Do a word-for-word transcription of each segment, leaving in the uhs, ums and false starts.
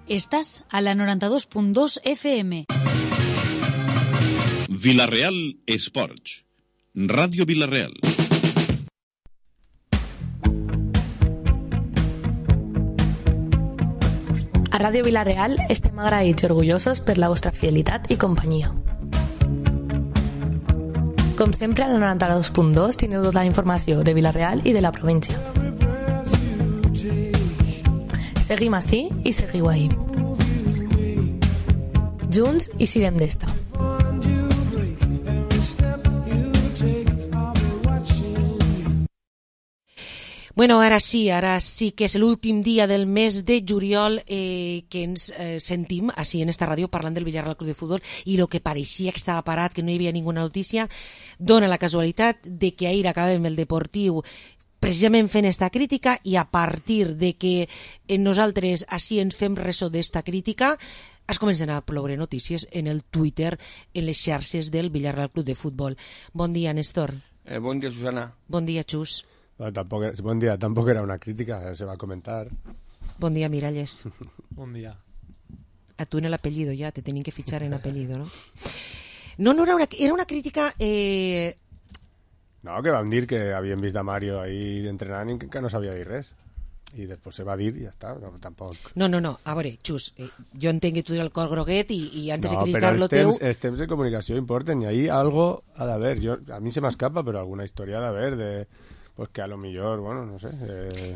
Estás a la noranta-dos punt dos F M. Vila-real Esports. Ràdio Vila-real. A Ràdio Vila-real estem agraïts i orgullosos per la vostra fidelitat i companyia. Com sempre, a la noranta-dos punt dos teniu tota la informació de Vila-real i de la província. Seguim ací i seguiu ahí. Junts i sirem d'esta. Bueno, ara sí, ara sí que és l'últim dia del mes de juliol eh, que ens eh, sentim així en esta ràdio parlant del Villarreal Club de Futbol, i el que pareixia que estava parat, que no hi havia ninguna notícia, dona la casualitat de que ahir acabem el Deportiu precisament fent esta crítica, i a partir de que nosaltres així ens fem ressò d'esta crítica es comencen a ploure notícies en el Twitter, en les xarxes del Villarreal Club de Futbol. Bon dia, Néstor. Eh, bon dia, Susana. Bon dia, Xus. No, tampoco, buen día, tampoco era una crítica, se va a comentar. Bon dia, Miralles. Bon dia. A tu en el apellido ya, te tenían que fichar en apellido, ¿no? No, no era una, era una crítica... Eh... No, que van dir que havien vist a Mario ahí entrenant i que, que no sabia dir res. I després se va dir i ja està, no, tampoc... No, no, no, a veure, Xus, eh, jo entenc que tu el cor groguet i, i antes no, de criticar-lo teu... teu... No, però els temps de comunicació importen i ahí algo ha d'haver. Yo, a mi se m'escapa, però alguna història ha d'haver de... Pues que a lo mejor, bueno, no sé, eh,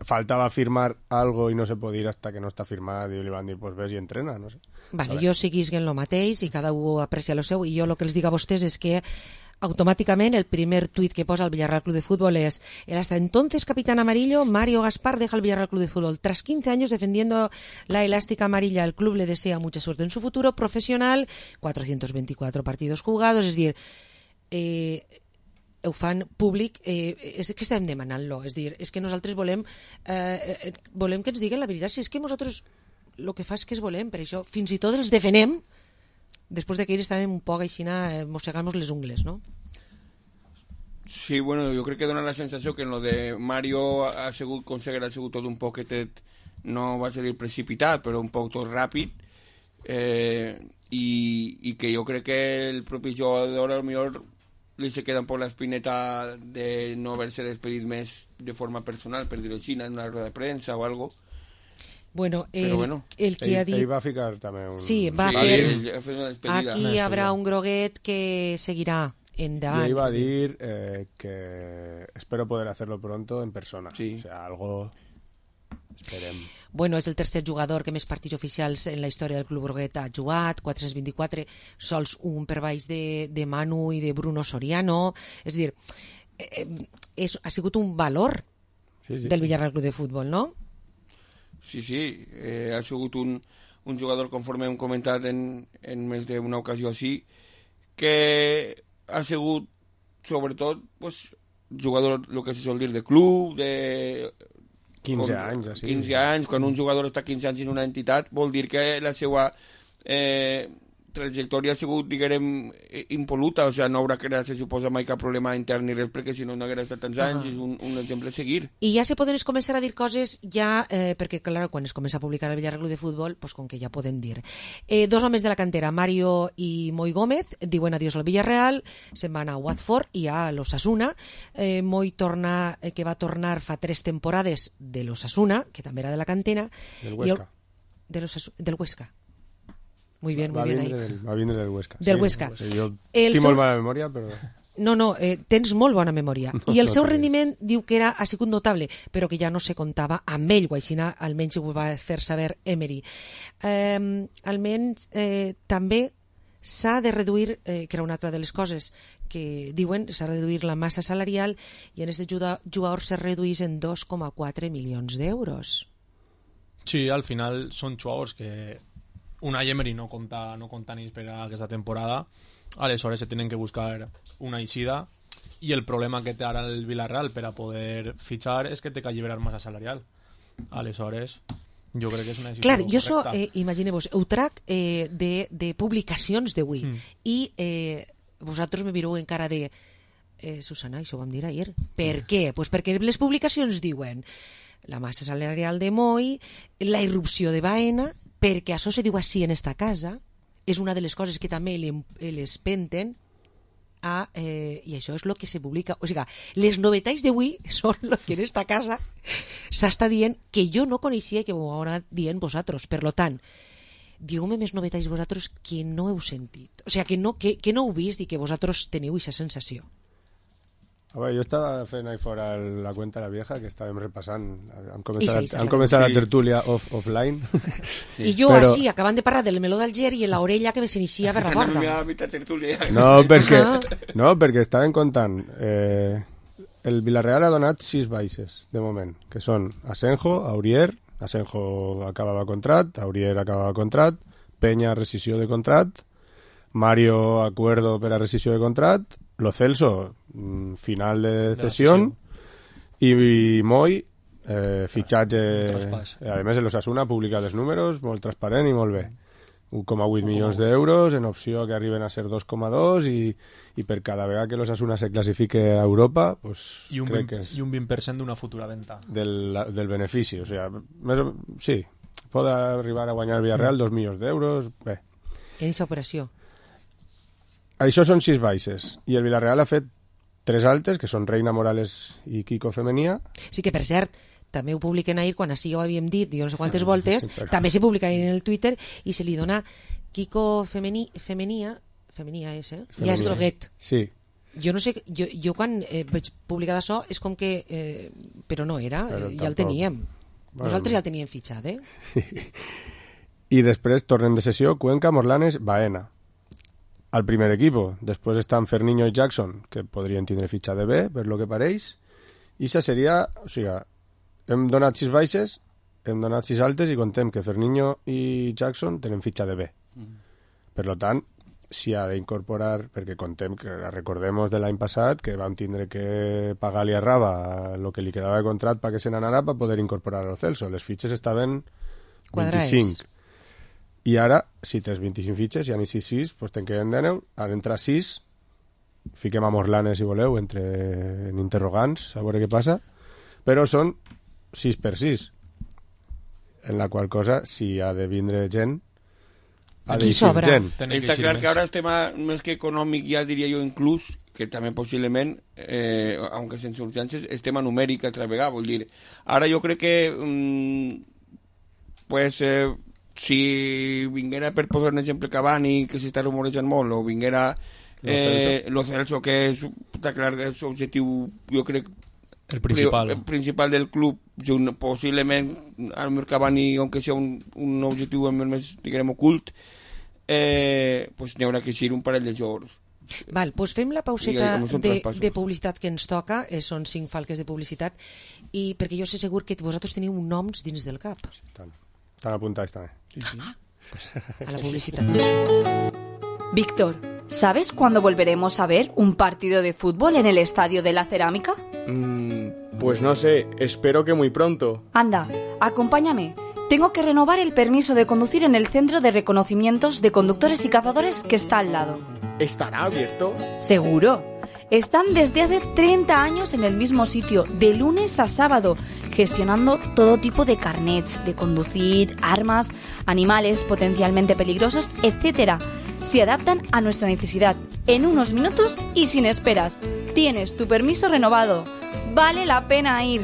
faltaba firmar algo y no se puede ir hasta que no está firmado y le van a decir, pues ves y entrena, no sé. Vale, jo seguís en lo mateix i cada un aprecia lo seu, i jo el que els dic a vostès és que automáticamente el primer tuit que posa el Villarreal Club de Fútbol es: el hasta entonces capitán amarillo Mario Gaspar deja el Villarreal Club de Fútbol. Tras quince años defendiendo la elástica amarilla, el club le desea mucha suerte en su futuro profesional. cuatrocientos veinticuatro partidos jugados, és dir, eh, ho fan públic, eh, és que estem demanant-lo, és dir, és que nosaltres volem eh, volem que ens diguen la veritat, si és que nosaltres el que fa és que es volem, per això fins i tot els defenem després de que ells estàvem un poc així eh, mossegant-nos les ungles, no? Sí, bueno, jo crec que dona la sensació que en lo de Mario ha sigut, conseguir, ha sigut tot un poquetet, no vaig a dir precipitat, però un poc tot ràpid, eh, i, i que jo crec que el propi jugador a lo millor li se queda un poc l'espineta de no haver-se despedit més de forma personal, per dir-ho així, en una roda de premsa o algo. Bueno, el, Però bueno, el que ell, ha dit... ell va ficar també un... Sí, va sí, fer... ell, ell, ell una despedida. Aquí hi haurà un groguet que seguirà endavant. Y ell va a dir eh, que espero poder hacerlo pronto en persona. Sí. O sea, algo... Esperem. Bueno, és el tercer jugador que més partits oficials en la història del Club Groguet ha jugat, quatre-cents vint-i-quatre, sols un per baix de, de Manu i de Bruno Soriano. És a dir, eh, és, ha sigut un valor sí, sí, del sí. Villarreal Club de Futbol, no? Sí, sí, eh, ha sigut un, un jugador, conforme hem comentat en, en més d'una ocasió així, que ha sigut, sobretot, pues, jugador, el que se sol dir, de club, de... quinze com, anys, així. quinze anys, quan un jugador està quinze anys en una entitat, vol dir que la seva eh, trajectòria ha sigut, diguem, impoluta, o sigui, no haurà creat, se suposa, mai cap problema intern ni res, perquè si no, no haguera estat tants anys, ah. és un, un exemple a seguir. I ja se poden començar a dir coses ja, eh, perquè, clar, quan es comença a publicar el Villarreal Club de Futbol, pues, com que ja poden dir. Eh, dos homes de la cantera, Mario i Moi Gómez, diuen adiós al Villarreal, se'n van a Watford i a l'Osasuna. Eh, Moi torna, eh, que va tornar fa tres temporades de l'Osasuna, que també era de la cantera. Del Huesca. El, de del Huesca. Muy bien, va, muy bien ahí. Del, va vindre del Huesca. Del sí, Huesca. Sí, jo el tinc seu... molt mala memòria, però... No, no, eh, tens molt bona memòria. No, I el no seu no rendiment diu que era, ha sigut notable, però que ja no se comptava amb ell, o així almenys ho va fer saber Emery. Eh, almenys eh, també s'ha de reduir, eh, que era una altra de les coses que diuen, s'ha de reduir la massa salarial, i en aquest jugador se reduís en dos coma quatre milions d'euros. Sí, al final són jugadors que una Emery no compta, no compta ni per a aquesta temporada, aleshores se tenen que buscar una eixida, i el problema que té ara el Villarreal per a poder fitxar és que té que alliberar massa salarial. Aleshores, jo crec que és una decisió Clar, correcta. jo so, eh, imagineu-vos, ho trac eh, de, de publicacions d'avui, mm. i eh, vosaltres me mireu encara de eh, Susana, això ho vam dir ahir. Per mm. què? Pues perquè les publicacions diuen la massa salarial de Moi, la irrupció de Baena, perquè això se diu així en esta casa, és una de les coses que també les penten a, eh, i això és el que se publica. O sigui, les novetats d'avui són el que en esta casa s'està dient que jo no coneixia i que ho haurà dient vosaltres. Per lo tant, dieu-me més novetats vosaltres que no heu sentit. O sigui, que no, que, que no heu vist i que vosaltres teniu aquesta sensació. A veure, jo estava fent ahí fora la cuenta de la vieja, que estàvem repassant. Han començat, sí, han començat sí. la tertúlia off, offline. Sí. I jo Però... així, acabant de parlar del meló d'Alger i l'orella que s'inicia per la porta. No, perquè, no, perquè estaven contant. Eh, el Villarreal ha donat sis baixes, de moment, que són Asenjo, Aurier, Asenjo acabava contrat, Aurier acabava contrat, Peña rescisió de contrat, Mario acuerdo per a rescisió de contrat, Lo Celso, final de cesión, i, i Moi, eh, fitxatge... Eh, a més, l'Osasuna ha publicat els números, molt transparent i molt bé. un coma vuit milions d'euros, en opció que arriben a ser dos coma dos, i, i per cada vegada que l'Osasuna se classifique a Europa, pues, I un, crec vint, que és i un vint per cent d'una futura venda. del, del benefici. O sigui, més o, sí, pot arribar a guanyar Villarreal dos milions d'euros. Bé. En aquesta operació. Això són sis baixes. I el Villarreal ha fet tres altes, que són Reina Morales i Kiko Femenia. Sí que, per cert, també ho publiquen ahir, quan així ho havíem dit, jo no sé quantes voltes, sí, però... també se publica ahir en el Twitter, i se li dona Kiko Femeni, Femenia, Femenia és, eh? Femenia. Ja és groguet. Sí. Jo no sé, jo, jo quan eh, vaig publicar això és com que, eh, però no era, però ja tampoc. El teníem. Bueno, nosaltres ja el teníem fitxat, eh? Sí. I després tornen de sessió Cuenca, Morlanes, Baena. Al primer equipo. Després estan Ferniño i Jackson, que podrien tindre fitxa de B, per lo que pareix. I això seria... O sigui, hem donat sis baixes, hem donat sis altes i contem que Ferniño i Jackson tenen fitxa de B. Mm. Per lo tant, s'hi ha d'incorporar, perquè contem que recordem de l'any passat que vam tindre que pagar-li a Raba el que li quedava de contrat perquè se n'anara per poder incorporar al Celso. Les fitxes estaven vint-i-cinc. I ara, si tens vint-i-cinc fitxes, ja n'hi sis sis, doncs te'n queden deu, han entrat sis, fiquem a Morlanes, si voleu, entre en interrogants, a veure què passa, però són sis per sis, en la qual cosa, si ha de vindre gent, ha de eixir gent. Està clar que ara el tema, més que econòmic, ja diria jo inclús, que també possiblement, eh, aunque sense urgències, és tema numèric altra vegada, vull dir, ara jo crec que, mm, pues... Eh, si vinguera, per posar un exemple, Cavani, que s'està rumorejant molt, o vinguera eh, Lo Celso, que és, està clar, és l'objectiu, jo crec, el principal, el principal del club, junt, possiblement, al meu Cavani, aunque sigui un, un objectiu més, diguem, ocult, eh, pues n'hi haurà que ser un parell de jugadors. Val, doncs fem la pauseta de, de publicitat que ens toca, eh, són cinc falques de publicitat, i perquè jo sé segur que vosaltres teniu noms dins del cap. Tant. Están apuntados también. Sí, sí. A la publicidad. Víctor, ¿sabes cuándo volveremos a ver un partido de fútbol en el Estadio de la Cerámica? Mm, pues no sé, espero que muy pronto. Anda, acompáñame. Tengo que renovar el permiso de conducir en el Centro de Reconocimientos de Conductores y Cazadores que está al lado. ¿Estará abierto? Seguro. Están desde hace treinta años en el mismo sitio, de lunes a sábado, gestionando todo tipo de carnets, de conducir, armas, animales potencialmente peligrosos, etcétera. Se adaptan a nuestra necesidad en unos minutos y sin esperas. Tienes tu permiso renovado. Vale la pena ir.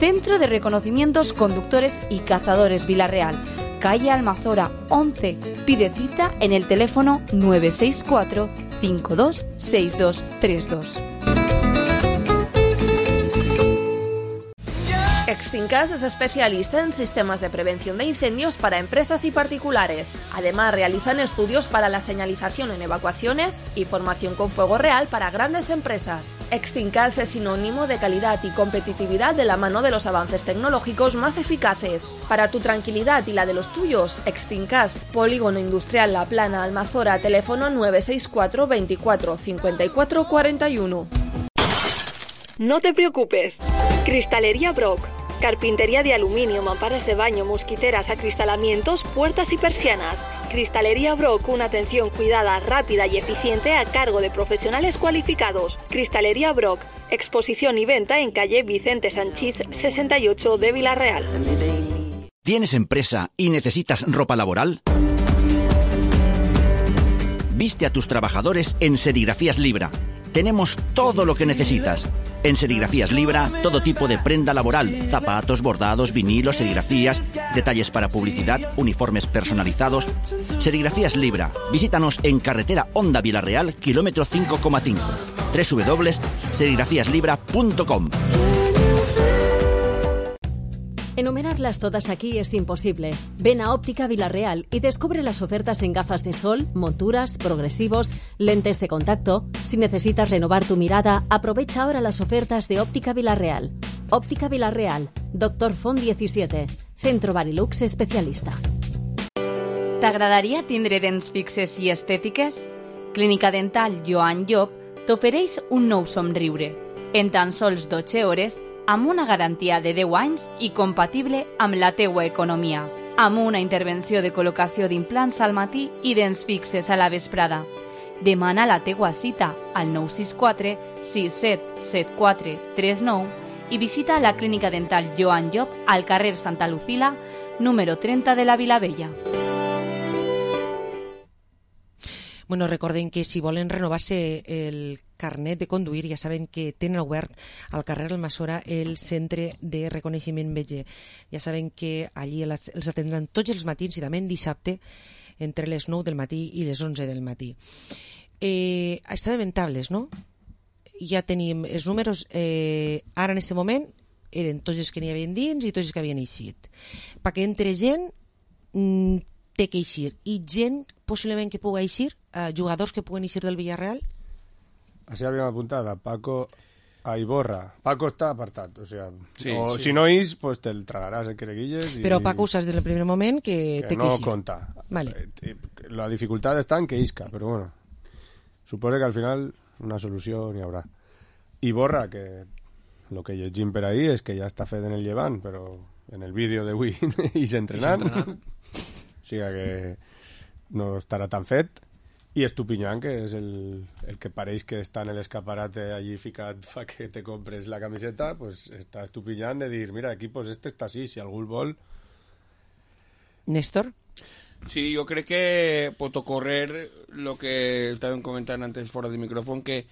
Centro de Reconocimientos Conductores y Cazadores Villarreal, calle Almazora once. Pide cita en el teléfono nueve seis cuatro cinco dos seis dos tres dos. Extincas es especialista en sistemas de prevención de incendios para empresas y particulares. Además, realizan estudios para la señalización en evacuaciones y formación con fuego real para grandes empresas. Extincas es sinónimo de calidad y competitividad de la mano de los avances tecnológicos más eficaces. Para tu tranquilidad y la de los tuyos, Extincas, Polígono Industrial La Plana, Almazora, teléfono nueve seis cuatro veinticuatro cincuenta y cuatro cuarenta y uno. No te preocupes. Cristalería Brock. Carpintería de aluminio, mamparas de baño, mosquiteras, acristalamientos, puertas y persianas. Cristalería Brock, una atención cuidada, rápida y eficiente a cargo de profesionales cualificados. Cristalería Brock, exposición y venta en calle Vicente Sanchís sesenta y ocho de Villarreal. ¿Tienes empresa y necesitas ropa laboral? Viste a tus trabajadores en Serigrafías Libra. Tenemos todo lo que necesitas. En Serigrafías Libra, todo tipo de prenda laboral, zapatos, bordados, vinilos, serigrafías, detalles para publicidad, uniformes personalizados. Serigrafías Libra. Visítanos en carretera Honda Vilarreal, kilómetro cinco coma cinco. doble u doble u doble u punto serigrafías libra punto com. Enumerarlas todas aquí es imposible. Ven a Óptica Vilarreal y descubre las ofertas en gafas de sol, monturas, progresivos, lentes de contacto. Si necesitas renovar tu mirada, aprovecha ahora las ofertas de Óptica Vilarreal. Óptica Vilarreal, Doctor Font diecisiete, Centro Barilux especialista. T'agradaria tindre dents fixes i estètiques? Clínica Dental Joan Llop t'ofereix un nou somriure. En tan sols dotze hores, amb una garantia de deu anys i compatible amb la teua economia. Amb una intervenció de col·locació d'implants al matí i dents fixes a la vesprada. Demana la teua cita al nou sis quatre sis set set quatre tres nou i visita la Clínica Dental Joan Llop al carrer Santa Lucila, número trenta de la Vilavella. Bueno, recorden que si volen renovar-se el carnet de conduir, ja saben que tenen obert al carrer Almassora el Centre de Reconeixement Metge. Ja saben que allí els atendran tots els matins i també en dissabte entre les nou del matí i les onze del matí. Eh, estàvem en tables, no? Ja tenim els números, eh, ara en aquest moment eren tots els que n'hi havia dins i tots els que havien eixit. Perquè entre gent mm, té que eixir i gent possiblement que pugui eixir, eh, jugadors que puguen eixir del Villarreal. Así habíamos apuntado a Paco, a Iborra. Paco está apartado, o sea, sí, o sí. si no is, pues te el tragarás el quereguilles. Y, Però Paco usas desde el primer moment que, que té no que eixir. conta. Vale. La dificultad está en que isca, pero bueno, supone que al final una solución ni habrá. Iborra, que lo que llegim per ahí es que ya está Fed en el llevant, pero en el vídeo de Wii y se entrenan. O sea que no estará tan fet. Y Estupiñán, que es el, el que pareix que está en el escaparate allí ficat para que te compres la camiseta, pues está Estupiñán de dir, mira, equipos, este está así, si algún vol... Néstor? Sí, yo creo que pot ocorrer lo que estaban comentando antes fuera de micrófono, que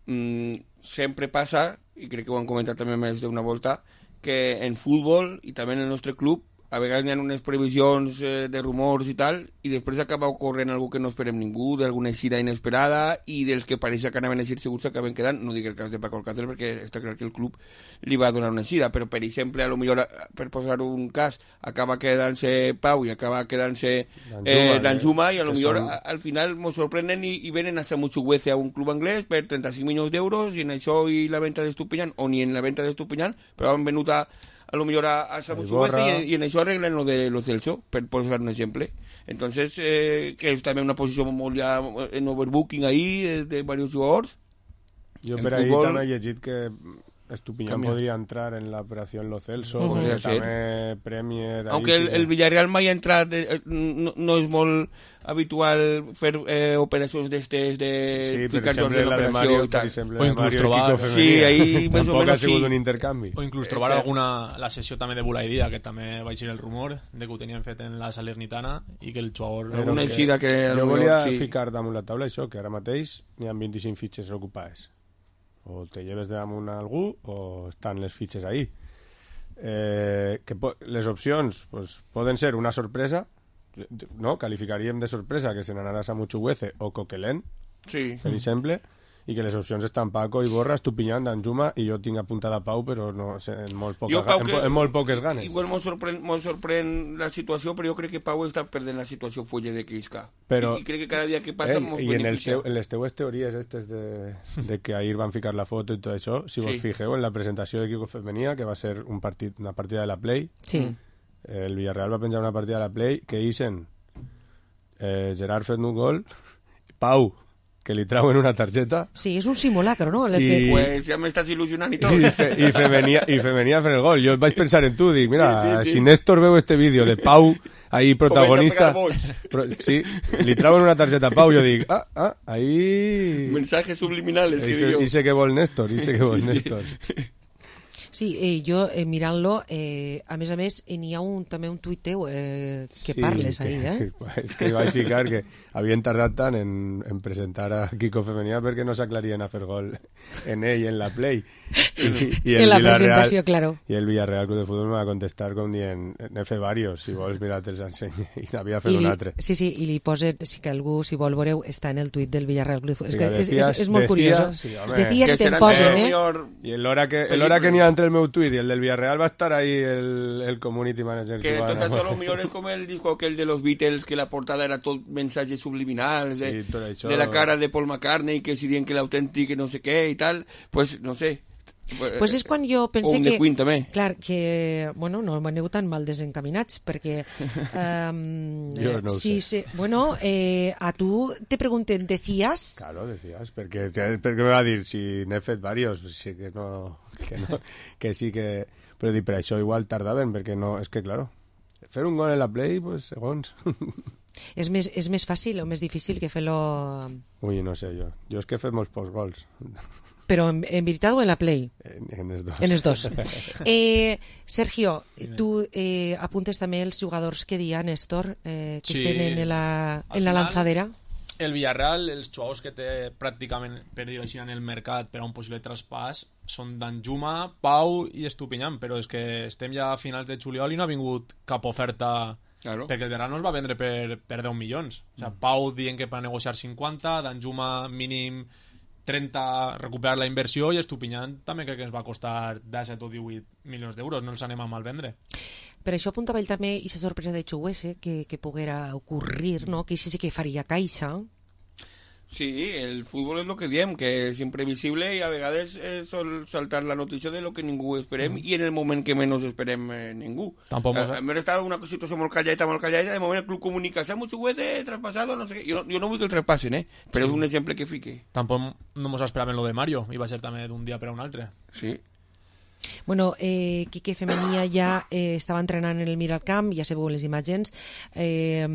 mmm, siempre pasa, y creo que ho han comentat també més d'una volta, que en futbol i també en el nostre club a vegades hi ha unes previsions eh, de rumors i tal, i després acaba ocorrent algú que no esperem ningú, d'alguna eixida inesperada, i dels que pareix que anaven a eixir segurs s'acaben quedant. No dic el cas de Paco Alcácer, perquè està clar que el club li va donar una eixida, però per exemple, a lo millor, per posar un cas, acaba quedant-se Pau i acaba quedant-se eh, Danjuma, i a lo millor son... al final ens sorprenen i, i venen a Samuchuguece a un club anglès per trenta-cinc milions d'euros, i en això i la venta d'Estupiñán, o ni en la venta d'Estupiñán, però han venut a a lo mejor a, a Samuchuguece y, y en eso arreglan lo de los Celso, per posar un ejemplo. Entonces, eh, que es también una posición muy ya en overbooking ahí de, de varios jugadores. Yo pero ahí también he llegit que Estupiñán Cambia. podría entrar en la operación Lo Celso, uh -huh. también Premier... Aunque el, el Villarreal mai ha entrat, eh, no, no és molt habitual fer eh, operacions d'estes de sí, ficar-se en l'operació i tal. O inclús trobar... Sí, ahí més o menys ha sigut sí. un intercanvi. O inclús trobar alguna... La sessió també de Bulaïdia, que també va eixir el rumor de que ho tenien fet en la Salernitana i que el jugador... Era una eixida que... Jo volia sí. ficar damunt la taula això, que ara mateix n'hi ha vint-i-cinc fitxes ocupades. O te lleves damunt a algú o estan les fitxes ahí. Eh, que les opcions pues, poden ser una sorpresa, no? Calificaríem de sorpresa que se n'anarà a Samuchuguece o Coquelin, sí. per exemple, i que les opcions estan Paco, Iborra, Estupiñán, Danjuma, i jo tinc apuntada a Pau, però no, en, molt poca, Pau, en, en molt poques ganes. Igual m'ho sorprèn, sorprèn la situació, però jo crec que Pau està perdent la situació fulla de Quisca. Però, I, I crec que cada dia que passa eh, mos I en, el teu, en les teues teories estes de, de que ahir van ficar la foto i tot això, si vos sí. fijeu en la presentació d'equip femenia, que va ser un partit, una partida de la Play, sí. el Villarreal va penjar una partida de la Play que ixen eh, Gerard fent un gol, Pau que li trauen una targeta. Sí, és un simulacro, no? El I... que... Pues ja m'estàs il·lusionant i tot. I, fe, i, femenia, i femenia fent el gol. Jo vaig pensar en tu, dic, mira, sí, sí, sí. si Néstor veu este vídeo de Pau, ahí protagonista... Pro, sí, li trauen una targeta a Pau, jo dic, ah, ah, ahí... Mensajes subliminales. I sé, i sé que vol Néstor, i sé que vol Néstor. Sí, eh, jo eh, mirant-lo, eh, a més a més, eh, n'hi ha un, també un tuit teu eh, que sí, parles que, ahí, eh? És que vaig ficar que havien tardat tant en, en presentar a Kiko Femenia perquè no s'aclarien a fer gol en ell, en la Play. I, i el en la Villarreal, presentació, claro. I el Villarreal Club de Futbol me va contestar com dient, n'he fet varios, si vols mirar te'ls ensenye. I n'havia fet I li, un altre. Sí, sí, i li posen, si que algú, si vol veureu, està en el tuit del Villarreal Club de Futbol. Sí, És, que decías, és, és, és molt decías, curiós. Sí, home, decías que te'n posen, eh? I l'hora que, l'hora que n'hi ha entre el meu tuit i el del Villarreal va estar ahí el, el community manager. Que cubano. tot això lo millor és com el disco aquell de los Beatles, que la portada era tot mensajes subliminals, de, Sí, tot això. de la cara de Paul McCartney, que si dient que l'autèntic no sé què i tal, pues no sé. Pues és quan jo pensé o un que... de Queen, també. Clar, que, bueno, no aneu tan mal desencaminats, perquè... Um, jo no ho sí, sé. Sí, bueno, eh, a tu te pregunten, ¿decías? Claro, decías, perquè, perquè me va dir, si n'he fet varios, sí que no, que no, que sí que... Però dic, per això igual tardaven, perquè no, és que, claro, fer un gol en la Play, pues, segons... És més, és més fàcil o més difícil que fer-lo... Ui, no sé, jo. Jo és que he fet molts pocs gols. Però en, en veritat o en la Play? En, en els dos. En els dos. eh, Sergio, tu eh, apuntes també els jugadors que dia, Néstor, eh, que Sí. estén en la, en la final, lanzadera? El Villarreal, els jugadors que té pràcticament, per dir-ho així, en el mercat per a un possible traspàs són Danjuma, Pau i Estupinyán, però és que estem ja a finals de juliol i no ha vingut cap oferta, claro. perquè el Verano es va vendre per, per deu milions. O sigui, Pau dient que va negociar cinquanta, Danjuma mínim trenta, recuperar la inversió, i Estupinyán també crec que ens va costar disset o divuit milions d'euros, no els anem a mal vendre. Per això apuntava ell també i la sorpresa de Chuguese que, que poguera ocurrir, no? Que sí, sí que faria caixa. Sí, el fútbol és el que diem, que és imprevisible i a vegades eh, sol saltar la notícia de lo que ningú esperem mm. i en el moment que menys esperem eh, ningú. Tampoc a, a més estava una situació molt calladeta, molt calladeta, de moment el club comunica, s'ha molt juguete, traspasado, no sé què. Jo, jo no vull que el traspassen, eh? Però sí. És un exemple que fique. Tampoc no mos esperàvem lo de Mario, i va ser també d'un dia per a un altre. Sí. Bueno, eh, Quique Femenia ja eh, estava entrenant en el Miralcamp, ja sabeu les imatges, eh,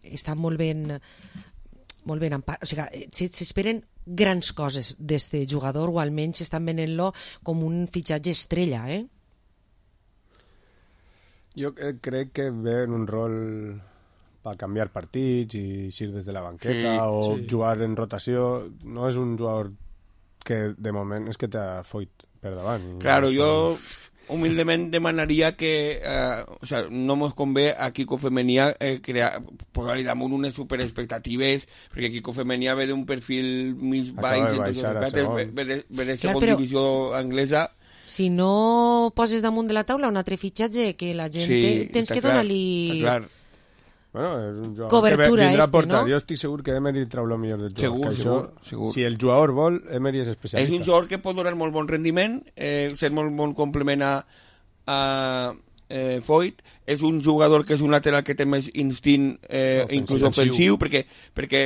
està molt ben... molt ben empar... O sigui, s'esperen grans coses d'este jugador, o almenys estan venent-lo com un fitxatge estrella, eh? Jo crec que ve en un rol per canviar partits i eixir des de la banqueta, sí, o sí. jugar en rotació. No és un jugador que de moment és que t'ha foit per davant. Claro, no, jo humilment demanaria que eh, o sea, no mos convé a Kiko Femenia eh, crear, posar-li damunt unes superexpectatives, perquè Kiko Femenia ve d'un perfil més baix, ve, ve de, ve de segon però... divisió anglesa. Si no poses damunt de la taula un altre fitxatge que la gent sí, tens que donar-li... Bueno, és un jugador cobertura que vindrà este, a portar. No? Jo estic segur que Emery trau el millor del jugador. Segur, això, segur, segur. Si el jugador vol, Emery és especialista. És un jugador que pot donar molt bon rendiment, eh, ser molt bon complement a, a eh, Foyt. És un jugador que és un lateral que té més instint, eh, ofensiu. Inclús ofensiu, perquè, perquè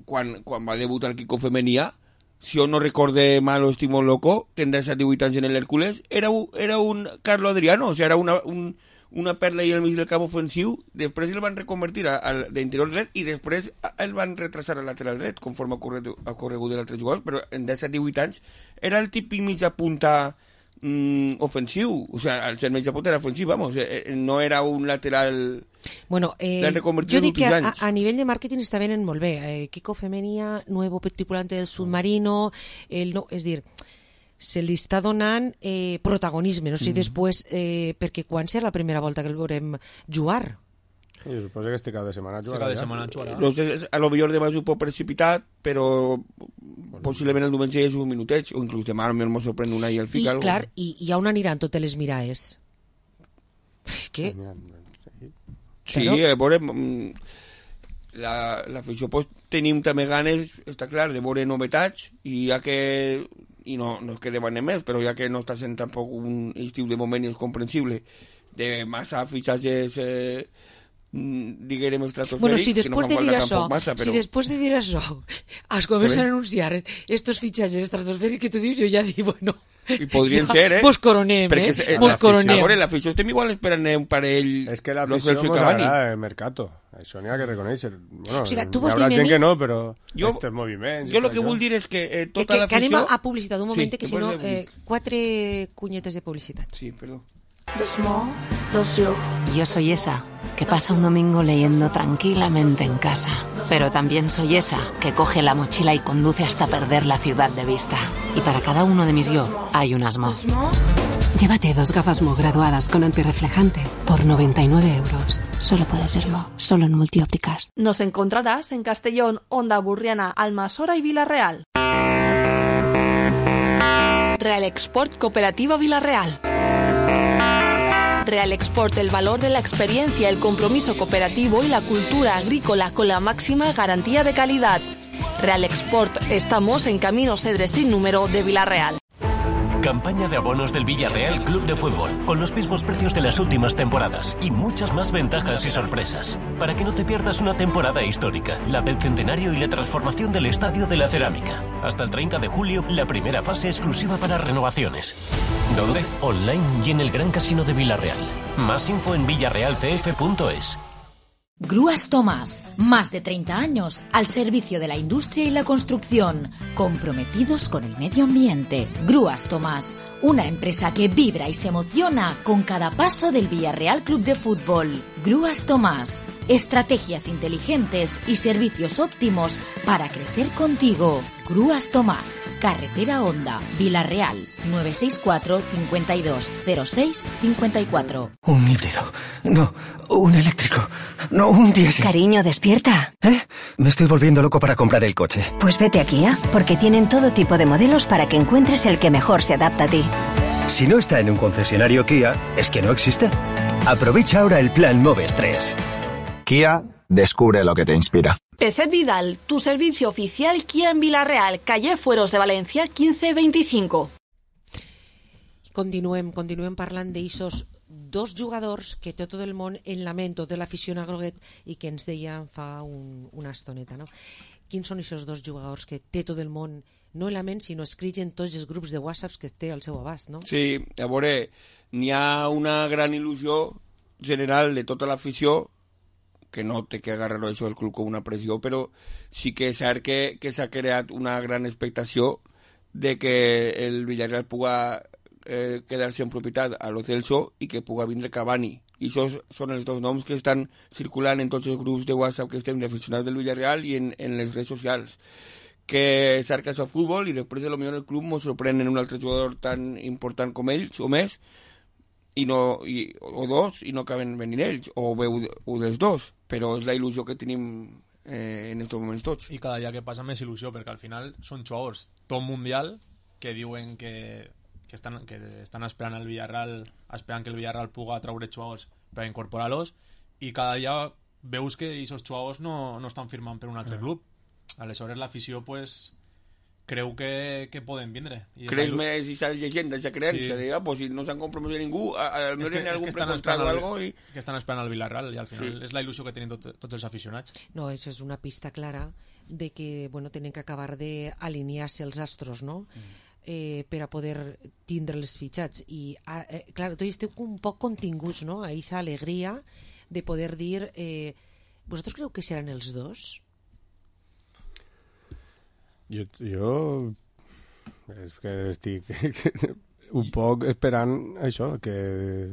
quan, quan va debutar el Kiko Femenia, si jo no recorde mal o estic molt loco, que en disset divuit anys en l'Hèrcules, era, era un Carlo Adriano, o sigui, era una... Un, una perla i al mig del camp ofensiu, després el van reconvertir al d'interior dret i després el van retrasar al lateral dret, conforme ha corregut, ha corregut d'altres jugadors, però en disset divuit anys era el típic mitja punta mm, ofensiu, o sigui, el ser mitja punta era ofensiu, vamos, eh, no era un lateral... Bueno, eh, jo dic que a, a nivell de màrqueting està venent molt bé. Eh, Kiko Femenia, nuevo tripulante del submarino, el no, és dir... se li està donant eh, protagonisme, no sé si mm. després, eh, perquè quan serà la primera volta que el veurem jugar? Jo suposo que este cap de setmana jugarà. Este cap de setmana jugarà. No sé, a lo millor demà és un poc precipitat, però bueno, possiblement el diumenge és un minutet, o inclús demà almenys m'ho sorprèn una i el fica. I algo. clar, i, i on aniran totes les miraes? Què? Sí, a veure... l'afició la, pues, tenim també ganes, està clar, de veure novetats, i ja que i no, no és que demanem més, però ja que no està sent tampoc un estiu de moment és comprensible, de massa fitxatges eh, diguem estratosfèric, bueno, si que no després fan de dir falta això, tampoc massa, però... si després de dir això es comencen a anunciar estos fitxatges estratosfèrics que tu dius, jo ja dic, bueno... I podrien ja, ser, eh? Mos coronem, perquè, eh? Mos coronem. A veure, l'afició estem igual esperant un parell... És que l'afició mos agrada el mercat. Això n'hi ha que reconèixer. Bueno, o sigui, hi haurà gent que no, però jo, estos moviments... Jo el que vull dir és que eh, tota que, l'afició... Que anem a publicitat, un moment, sí, que si no... Eh, quatre cunyetes de publicitat. Sí, perdó. Yo soy esa que pasa un domingo leyendo tranquilamente en casa, pero también soy esa que coge la mochila y conduce hasta perder la ciudad de vista. Y para cada uno de mis yo hay un Asmo. Llévate dos gafas Mo graduadas con antirreflejante por noventa y nueve euros. Solo puede serlo, solo en Multiópticas. Nos encontrarás en Castellón, Onda Burriana, Almasora y Villarreal. Real Export Cooperativa Villarreal. Real Export, el valor de la experiencia, el compromiso cooperativo y la cultura agrícola con la máxima garantía de calidad. Real Export, estamos en Camino Cedres sin número de Villarreal. Campaña de abonos del Villarreal Club de Fútbol, con los mismos precios de las últimas temporadas y muchas más ventajas y sorpresas. Para que no te pierdas una temporada histórica, la del centenario y la transformación del Estadio de la Cerámica. Hasta el treinta de julio, la primera fase exclusiva para renovaciones. ¿Dónde? Online y en el Gran Casino de Villarreal. Más info en villarreal c f punto es. Grúas Tomás, más de treinta años al servicio de la industria y la construcción, comprometidos con el medio ambiente. Grúas Tomás, una empresa que vibra y se emociona con cada paso del Villarreal Club de Fútbol. Grúas Tomás, estrategias inteligentes y servicios óptimos para crecer contigo. Grúas Tomás, Carretera Honda, Villarreal, nueve seis cuatro, cincuenta y dos, cero seis, cincuenta y cuatro. Un híbrido, no, un eléctrico, no, un diésel. Cariño, despierta. ¿Eh? Me estoy volviendo loco para comprar el coche. Pues vete a Kia, porque tienen todo tipo de modelos para que encuentres el que mejor se adapta a ti. Si no está en un concesionario Kia, es que no existe. Aprovecha ahora el plan Moves tres. Kia, descubre lo que te inspira. Peset Vidal, tu servicio oficial Kia en Villarreal, calle Fueros de Valencia quinze veinticinco. Continuem, continuem parlant d'eixos dos jugadors que té tot el món en lament, tota l'afició a groguet, i que ens deia fa un, una estoneta, no? Quins són aquests dos jugadors que té tot el món, no en lament, sinó escrits en tots els grups de whatsapps que té al seu abast, no? Sí, a veure, n'hi ha una gran il·lusió general de tota l'afició, que no té que agarrar això del club com una pressió, però sí que és cert que, que s'ha creat una gran expectació de que el Villarreal puga eh, quedar-se en propietat a Lo Celso i que puga vindre Cavani. I això són els dos noms que estan circulant en tots els grups de WhatsApp que estem d'aficionats del Villarreal i en, en les redes socials. Que és cert que és el futbol i després de lo millor el club ens sorprèn en un altre jugador tan important com ells o més, i no, i, o dos, i no acaben venint ells, o bé un dels dos, però és la il·lusió que tenim eh, en aquests moments tots. I cada dia que passa més il·lusió, perquè al final són jugadors top mundial que diuen que, que, estan, que estan esperant el Villarreal, esperant que el Villarreal puga traure jugadors per incorporar-los, i cada dia veus que aquests jugadors no, no estan firmant per un altre ah. club. Aleshores l'afició pues creu que, que poden vindre. Creus més aquesta llegenda, aquesta creença, sí. de, ah, pues, si no s'han compromès ningú, almenys hi ha algun precontrat o algo i... Que estan esperant al Villarreal i al final sí. és la il·lusió que tenen tot, tots els aficionats. No, això és una pista clara de que, bueno, tenen que acabar d'alinear-se els astros, no? Mm. Eh, per a poder tindre els fitxats. I, eh, clar, tots esteu un poc continguts, no? A aquesta alegria de poder dir... Eh, vosaltres creu que seran els dos? Jo, jo és que estic un poc esperant això, que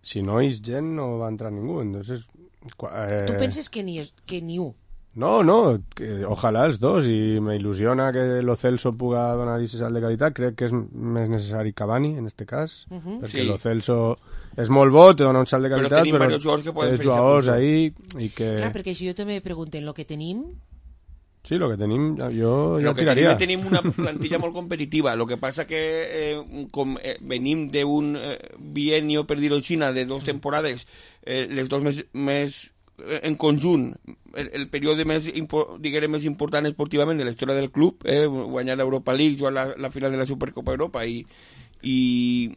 si no és gent no va entrar ningú. Entonces, eh... Tu penses que ni, que ni un? No, no, que ojalà els dos, i me il·lusiona que Lo Celso puga donar aquest salt de qualitat. Crec que és més necessari Cavani, en este cas, uh -huh. perquè sí. Lo Celso és molt bo, té donar un salt de qualitat, però, però té jugadors ahí i que... Clar, perquè si jo també pregunten lo que tenim... Sí, lo que tenim, jo, jo lo que tiraria. Tenim, tenim una plantilla molt competitiva. Lo que passa que eh, com eh, venim d'un eh, bienio, per dir-ho així, de dos temporades, eh, les dos més, més eh, en conjunt, el, el període més, impo, diguem, més important esportivament de la història del club, eh, guanyar l'Europa League, jugar la, la final de la Supercopa Europa i, i,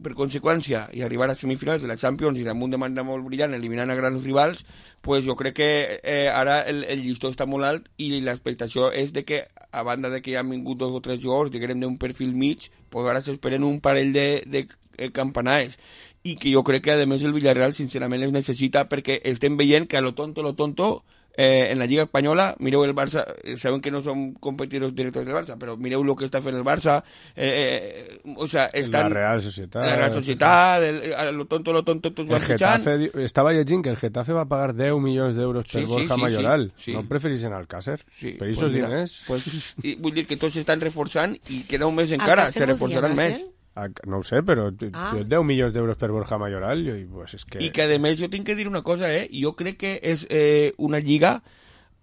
per conseqüència, i arribar a semifinals de la Champions i amb un demanda molt brillant eliminant a grans rivals, pues jo crec que eh, ara el, el llistó està molt alt i l'expectació és de que, a banda de que hi han vingut dos o tres jugadors, diguem d'un perfil mig, pues ara s'esperen un parell de, de eh, campanades, i que jo crec que a més el Villarreal sincerament les necessita, perquè estem veient que a lo tonto, lo tonto, Eh, en la Lliga Espanyola, mireu el Barça, eh, saben que no som competidors directos del Barça, però mireu el que està fent el Barça, eh, eh, o sea, estan... La Real Societat. La Real Societat, el, el, lo tonto, lo tonto, tots van fitxant. Estava llegint que el Getafe va pagar deu milions d'euros per sí, Borja sí, Mayoral. Sí, sí. No prefereixen Alcácer? Sí, per pues esos mira, diners? Pues, i, vull dir que tots s'estan reforçant i queda un mes encara, se reforçaran més. No ho sé, però Ah. deu milions d'euros per Borja Mayoral i, pues, és que... I que a més jo tinc que dir una cosa, eh? Jo crec que és eh, una lliga,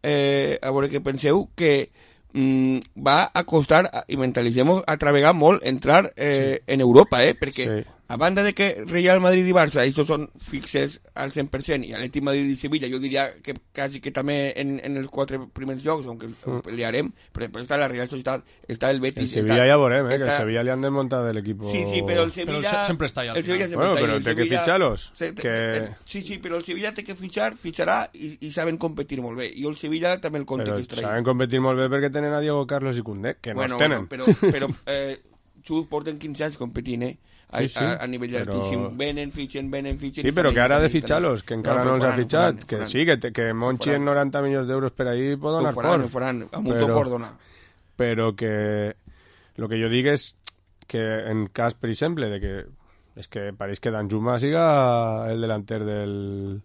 eh, a veure què penseu, que mm, va a costar, i mentalitzem, a travegar molt entrar eh, sí. en Europa, eh? Perquè sí. a banda de que Real Madrid i Barça, això són fixes al cent per cent, i Atlètic Madrid i Sevilla, jo diria que quasi que també en, en els quatre primers jocs, on mm. pelearem, però després està la Real Societat, està el Betis... El Sevilla està, ja veurem, eh, està... que el Sevilla li han desmuntat de l'equip. Sí, sí, però el Sevilla... Però sempre està allà. El Sevilla sempre bueno, està però allà. té que fitxar-los. Se, que... Sí, sí, però el Sevilla té que fitxar, fitxarà i, i saben competir molt bé. I el Sevilla també el compte però que es traia. Saben competir molt bé perquè tenen a Diego Carlos i Koundé, que bueno, no els tenen. Bueno, però, però eh, Xus porten quinze anys competint, eh? A, Sí, sí, a, a nivell però... altíssim. Venen, fitxen, venen, fitxen... Sí, però que ara ha de fitxar-los, que encara no, no els ha fitxat. Faran, que faran. sí, que, te, que Monchi en noranta milions d'euros per ahí pot donar por. Ho por. faran, amb un top por donar. Però que... Lo que jo dic és que en cas, per exemple, de que és que pareix que Danjuma siga el delanter del,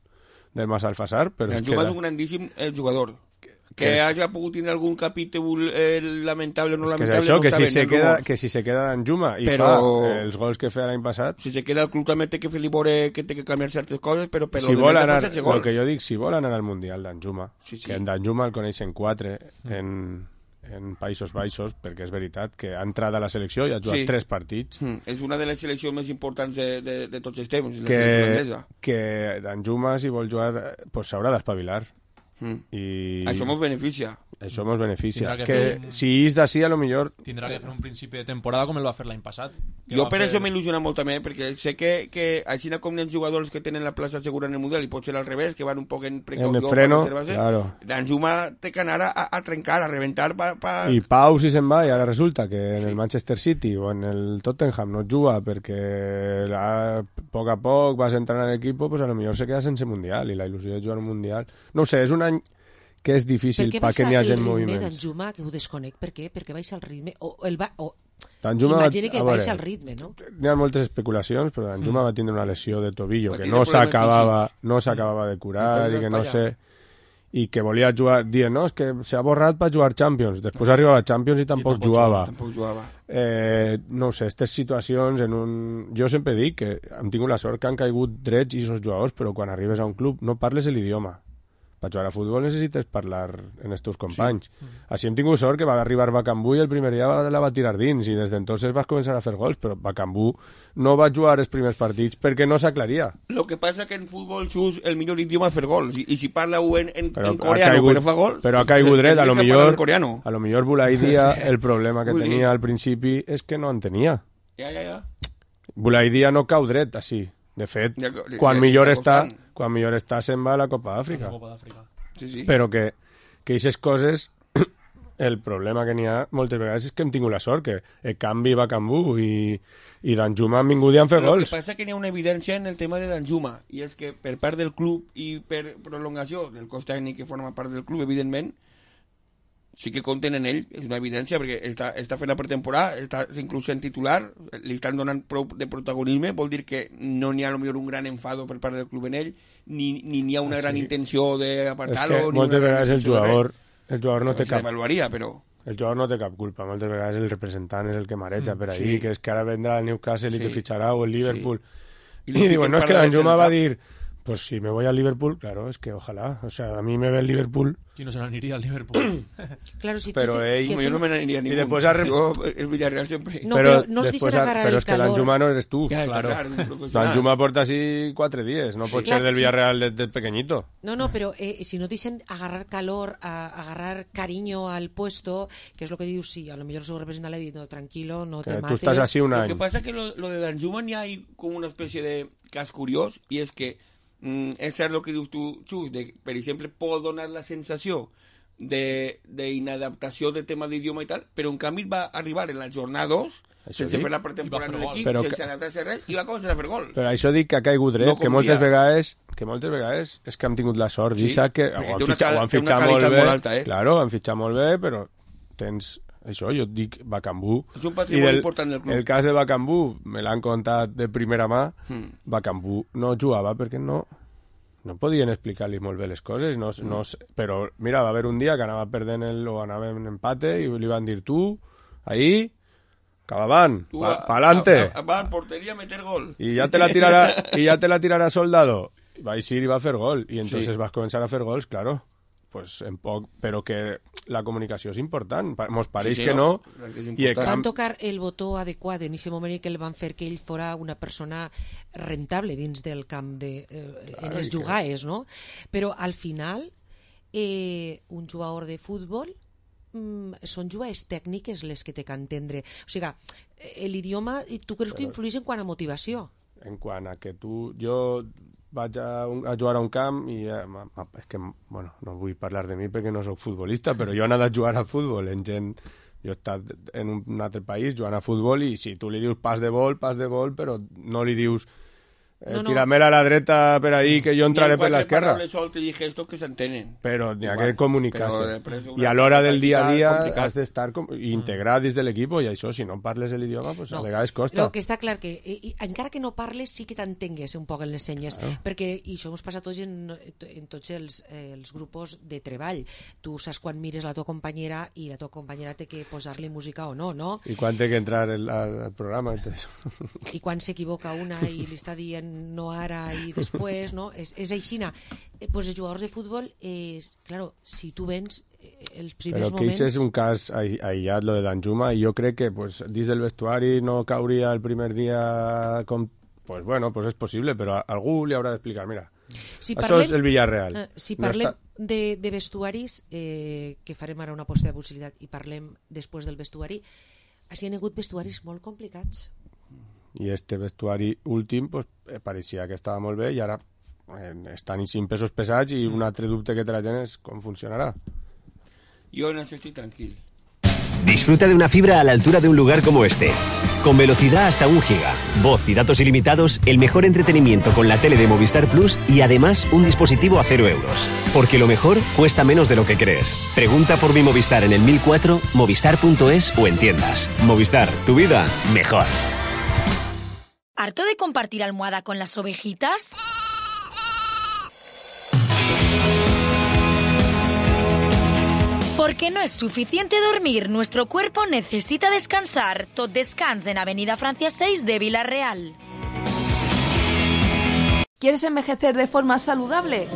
del Mas Alfasar, però Danjuma és, és un grandíssim eh, jugador. Que, que és... hagi pogut tenir algun capítol eh, lamentable o no és que lamentable, és això, no que, sabem, si se no queda, rumors. que si se queda Danjuma i Però... fa els gols que feia l'any passat... Si se queda al club també té que fer-li veure que té que canviar certes coses, però per si lo vol de anar, més el que jo dic, si vol anar al Mundial Danjuma, Sí, sí. que en Danjuma el coneixen quatre en, en Països Baixos, perquè és veritat que ha entrat a la selecció i ha jugat Sí. tres partits, Mm, és una de les seleccions més importants de, de, de tots els temps, la que, selecció holandesa. que Danjuma, si vol jugar, pues s'haurà d'espavilar. Mm. I Això ens beneficia. Això ens beneficia. Tindrà que Que, fer un- si és d'ací, a lo millor... Tindrà que fer un principi de temporada com el va fer l'any passat. Que Jo va per fer- això m'il·lusiona molt també, perquè sé que, que així com hi ha jugadors que tenen la plaça segura en el Mundial, i pot ser al revés, que van un poc en precaució En el freno, per reservar-se, claro. Danjuma té que anar a, a trencar, a reventar pa, pa... I Pau, si se'n va, i ara resulta que en el Manchester City o en el Tottenham no juga perquè a poc a poc vas entrant a l'equip, pues a lo millor se queda sense Mundial, i la il·lusió de jugar un Mundial... No ho sé, és un any que és difícil perquè n'hi hagi en moviments. Danjuma, que ho desconec, per què? Perquè baixa el ritme, o el va... O... Danjuma Imagina que a veure, baixa el ritme, no? N'hi ha moltes especulacions, però Danjuma va tindre una lesió de tobillo Va que tindre no problemes s'acabava físics. no s'acabava de curar I i que no per sé i que volia jugar, dient, no, és que s'ha borrat per jugar Champions, després arribava a Champions i tampoc, tampoc jugava. Tampoc jugava. Eh, no ho sé, aquestes situacions en un... Jo sempre dic que hem tingut la sort que han caigut drets i aquests jugadors, però quan arribes a un club no parles l'idioma. Per jugar a futbol necessites parlar en els teus companys. Sí. Així hem tingut sort que va arribar Bacambú i el primer dia la va tirar dins i des d'entonces vas començar a fer gols, però Bacambú no va jugar els primers partits perquè no s'aclaria. Lo que passa que en futbol, Xus, el millor idioma és fer gols, i, i si parla-ho en, en, Però en coreano, caigut, però fa gol... però ha caigut dret, a lo millor, coreano. a lo millor Bulaidia, el problema que Vull dir- tenia al principi és que no en tenia. Ja, ja, ja. Bulaidia no cau dret, així. De fet, Ja, ja, quan ja millor està està, quan millor està se'n va a la Copa d'Àfrica. Copa d'Àfrica. Sí, sí. Però que que aquestes coses el problema que n'hi ha moltes vegades és que hem tingut la sort que el canvi va Cambú i, i Danjuma han vingut i han fet Lo que gols. passa que n'hi ha una evidència en el tema de Danjuma, i és que per part del club i per prolongació del cos tècnic que forma part del club, evidentment, sí que compten en ell, és una evidència, perquè està, està fent la pretemporada, està inclús sent titular, li estan donant prou de protagonisme, vol dir que no n'hi ha a lo millor un gran enfado per part del club en ell, ni ni n'hi ha una Sí. gran intenció És d'apartar-lo, que ni moltes una gran vegades el intenció de res. jugador, el jugador no té cap... S'avaluaria, però... El jugador no té cap culpa, moltes vegades el representant és el que mareja Mm, per ahí, sí. que és que ara vendrà el Newcastle i Sí. te fitxarà o el Liverpool. I I, lo diuen, fiquen no, és que para Danjuma del va cap. dir Pues si me voy al Liverpool, claro, es que ojalá. O sea, a mí me ve el Liverpool. ¿Quién no se la iría al Liverpool? Claro, si pero tú te, ell, si yo no me aniria a ningún. Y después a rep... Yo, el Villarreal siempre. No, pero, però no els después deixes a... agarrar pero el es que calor. l'Anjuma no eres tú. Ya, Claro. claro, L'Anjuma porta así cuatro días, no pot Sí. ser del Sí. Villarreal desde de pequeñito. No, no, pero eh, si no te dicen agarrar calor, a, agarrar cariño al puesto, que es lo que dius, sí, a lo mejor su representante le ha dicho, no, tranquilo, no Que te tú mates. estás así un Lo año. que pasa es que lo, lo de Danjuma ni hay como una especie de cas curiós, i és que mm, és cert el que dius tu, Xus, de, per exemple, pot donar la sensació d'inadaptació de, de tema d'idioma i tal, però en canvi va arribar en la jornada dos, Això sense dic. fer la pretemporada en l'equip, Però sense que- adaptar-se a res, i va començar a fer gols. Però això dic que ha caigut dret, No que com moltes dia. vegades que moltes vegades és que hem tingut la sort, Sí, sí, que perquè ho han té una fitxat, cal- ho han té una fitxat molt qualitat bé, molt alta, eh? claro, han fitxat molt bé, però tens això, jo et dic Bakambu. És un patrimoni important del club. El cas de Bakambu, me l'han contat de primera mà, Mm. Bakambu no jugava perquè no no podien explicar-li molt bé les coses, no, no, però mira, va haver un dia que anava perdent el, o anava en empate i li van dir tu, ahí, Cabaván, Tu, pa, a- pa'lante. a- a- Va en portería a meter gol. Y ya te la tirará, y ya te la tirará Soldado. Va a ir y va a hacer gol. Y entonces Sí. vas a comenzar a hacer gols, claro. Pues en poc, pero que la comunicació és important. Pa- Mos pareix Sí, sí, que no. no, que és I el Van camp, tocar el botó adequat en aquest moment que el van fer que ell fora una persona rentable dins del camp de, eh, en Clar, les i que- jugaes, no? Però al final eh, un jugador de futbol mm, són jugades tècniques les que té que entendre. O sigui, eh, l'idioma, tu creus que Però- influeix en quant a motivació? en quant a que tu... Jo vaig a, un, a jugar a un camp i eh, ma- ma- és que, bueno, no vull parlar de mi perquè no sóc futbolista, però jo he anat a jugar a futbol en gent... Jo he estat en un, un altre país jugant a futbol i si tu li dius pas de vol, pas de vol, però no li dius eh, No, no. tira-me-la a la dreta per ahí que jo entraré per Quatre l'esquerra. paraules soltes i gestos que s'entenen. Però n'hi ha Igual, que comunicar-se. però després una I a l'hora del dia a dia complicat. has d'estar com, integrat dins de l'equip i això, si no parles l'idioma, pues a vegades costa. El que està clar que, i, i, encara que no parles, sí que t'entengues un poc en les senyes, Claro. perquè, i això ens passa a tots en, en tots els, eh, els grupos de treball. Tu saps quan mires la tua companyera i la tua companyera té que posar-li música o no, no? I quan té que entrar el, al, al programa i tot això. I quan s'equivoca una i li està dient no ara i després, no? És, és aixina. Eh, pues els jugadors de futbol, és, claro, si tu vens eh, els primers Però que moments... això és un cas ai- aïllat, lo de Danjuma, i jo crec que pues, dins del vestuari no cauria el primer dia com... Pues bueno, pues és possible, però a algú li haurà d'explicar, mira, Si això parlem- és el Villarreal. Eh, si No parlem està- de, de vestuaris, eh, que farem ara una posta de possibilitat i parlem després del vestuari, hi ha hagut vestuaris molt complicats. I este vestuari últim pues, eh, pareixia que estava molt bé i ara eh, estan cinc pesos pesats i un altre dubte que té la gent és com funcionarà. Yo en eso estoy tranquilo. Disfruta de una fibra a la altura de un lugar como este. Con velocidad hasta un giga, voz y datos ilimitados, el mejor entretenimiento con la tele de Movistar Plus y además un dispositivo a cero euros. Porque lo mejor cuesta menos de lo que crees. Pregunta por mi Movistar en el mil cuatro, movistar punto es o en tiendas. Movistar, tu vida mejor. ¿Harto de compartir almohada con las ovejitas? Porque no es suficiente dormir, nuestro cuerpo necesita descansar. Tot Descans en Avenida Francia seis de Villarreal. ¿Quieres envejecer de forma saludable?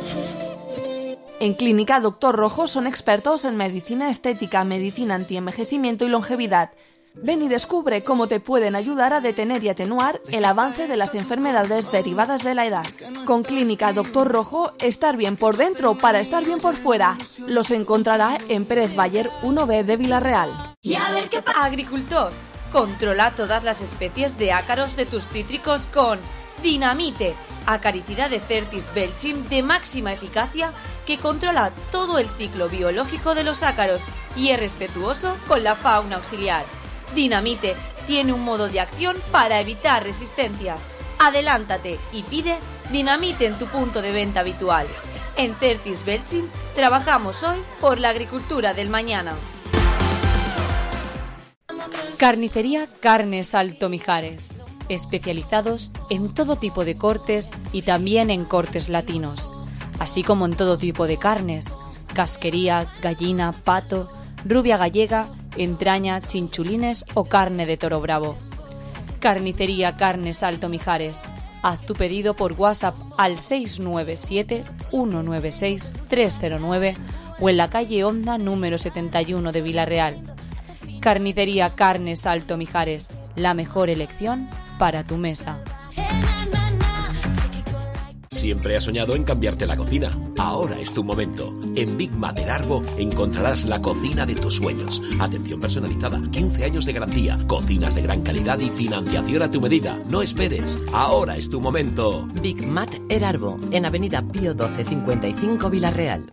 En Clínica Doctor Rojo son expertos en medicina estética, medicina antienvejecimiento y longevidad. Ven y descubre cómo te pueden ayudar a detener y atenuar el avance de las enfermedades derivadas de la edad. Con Clínica Doctor Rojo, estar bien por dentro para estar bien por fuera. Los encontrará en Pérez Bayer uno B de Villarreal. Y a ver qué pasa. Agricultor, controla todas las especies de ácaros de tus cítricos con Dinamite, acaricida de Certis belchim de máxima eficacia que controla todo el ciclo biológico de los ácaros y es respetuoso con la fauna auxiliar. Dinamite tiene un modo de acción para evitar resistencias. Adelántate y pide Dinamite en tu punto de venta habitual. En Certis belchim trabajamos hoy por la agricultura del mañana. Carnicería Carnes Alto Mijares. Especializados en todo tipo de cortes y también en cortes latinos, así como en todo tipo de carnes, casquería, gallina, pato, rubia gallega, entraña, chinchulines o carne de toro bravo. Carnicería Carnes Alto Mijares. Haz tu pedido por WhatsApp al seis nueve siete, uno nueve seis, tres cero nueve o en la calle Honda número setenta y uno de Villarreal. Carnicería Carnes Alto Mijares, la mejor elección para tu mesa. Siempre has soñado en cambiarte la cocina. Ahora es tu momento. En Big Mater Arbo encontrarás la cocina de tus sueños. Atención personalizada, quince años de garantía, cocinas de gran calidad y financiación a tu medida. No esperes. Ahora es tu momento. Big Mater Arbo, en Avenida Pío doce cincuenta y cinco, Villarreal.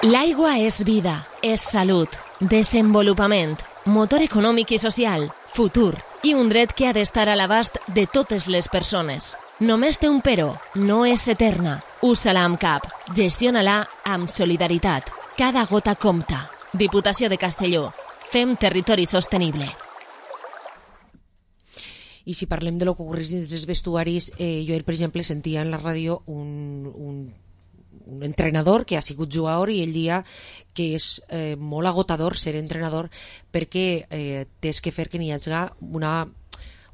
L'aigua és vida, és salut, desenvolupament, motor econòmic i social, futur i un dret que ha d'estar a l'abast de totes les persones. Només té un però, no és eterna. Usa-la amb cap, gestiona-la amb solidaritat. Cada gota compta. Diputació de Castelló. Fem territori sostenible. I si parlem de lo que ocorreix dins dels vestuaris, eh, jo, per exemple, sentia en la ràdio un, un, un entrenador que ha sigut jugador i ell dia que és eh, molt agotador ser entrenador perquè eh, tens que fer que n'hi hagi una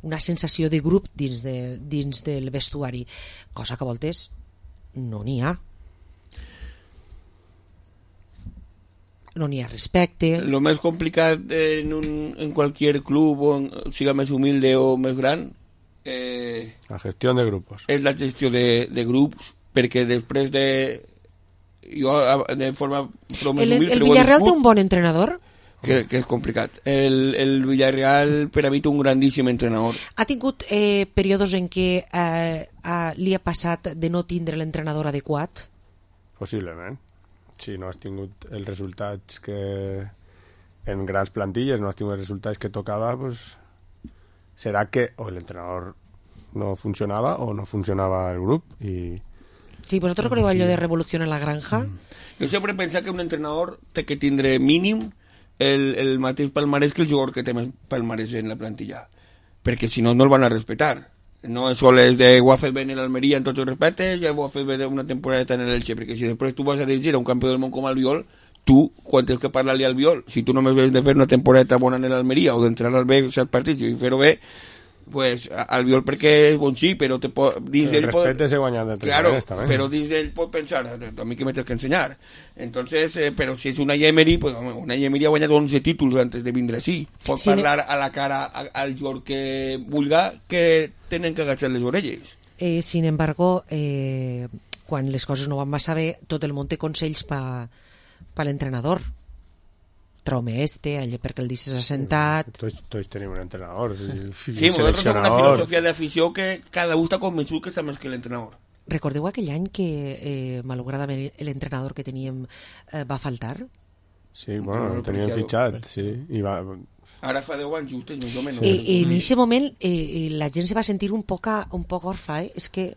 una sensació de grup dins, de, dins del vestuari, cosa que a voltes no n'hi ha. No n'hi ha respecte. Lo més complicat en, un, en cualquier club, o en, siga més humilde o més gran, eh, la gestió de grupos. És la gestió de, de grups, perquè després de... Jo, de forma el, el, el Villarreal té un bon entrenador? Que, que és complicat. El, el Villarreal per a mi té un grandíssim entrenador. Ha tingut eh, períodes en què eh, eh, li ha passat de no tindre l'entrenador adequat? Possiblement. Si no has tingut els resultats que en grans plantilles no has tingut els resultats que tocava, pues serà que o l'entrenador no funcionava o no funcionava el grup i... Sí, vosaltres recordeu allò de Revolució en la Granja? Mm. Jo sempre he pensat que un entrenador té que tindre mínim el, el mateix palmarès que el jugador que té més palmarès en la plantilla, perquè si no no el van a respetar. No és sol és de ho ha fet bé en l'Almeria en tots els respectes, ja ho ha fet bé una temporada en l'Elche, perquè si després tu vas a dirigir a un campió del món com Albiol, tu, quan tens que parlar-li al Albiol, si tu només ves de fer una temporada bona en l'Almeria o d'entrar al B set partits i fer-ho bé, pues Albiol perquè és bon sí, però te pot, dins el respecte se guanya de claro, però dins ell pot pensar a mi que me tens que ensenyar. Entonces, eh, però si és una Emery, pues una Emery ha guanyat onze títols antes de vindre així. Pot sí, parlar a la cara a, al jugador que vulga que tenen que agachar les orelles. Eh, sin embargo, eh, quan les coses no van massa bé, tot el món té consells pa, pa l'entrenador. Traume este, allò perquè el dices assentat... Tots, tots tenim un entrenador. Sí, sí nosaltres tenim una filosofia d'afició que cada un està convençut que està més que l'entrenador. Recordeu aquell any que, eh, malauradament, l'entrenador que teníem eh, va faltar? Sí, bueno, el teníem fitxat, sí. I va... Ara fa deu anys justes, més o menys. I, i en aquest moment eh, la gent se va sentir un poc, un poc orfa, eh? És que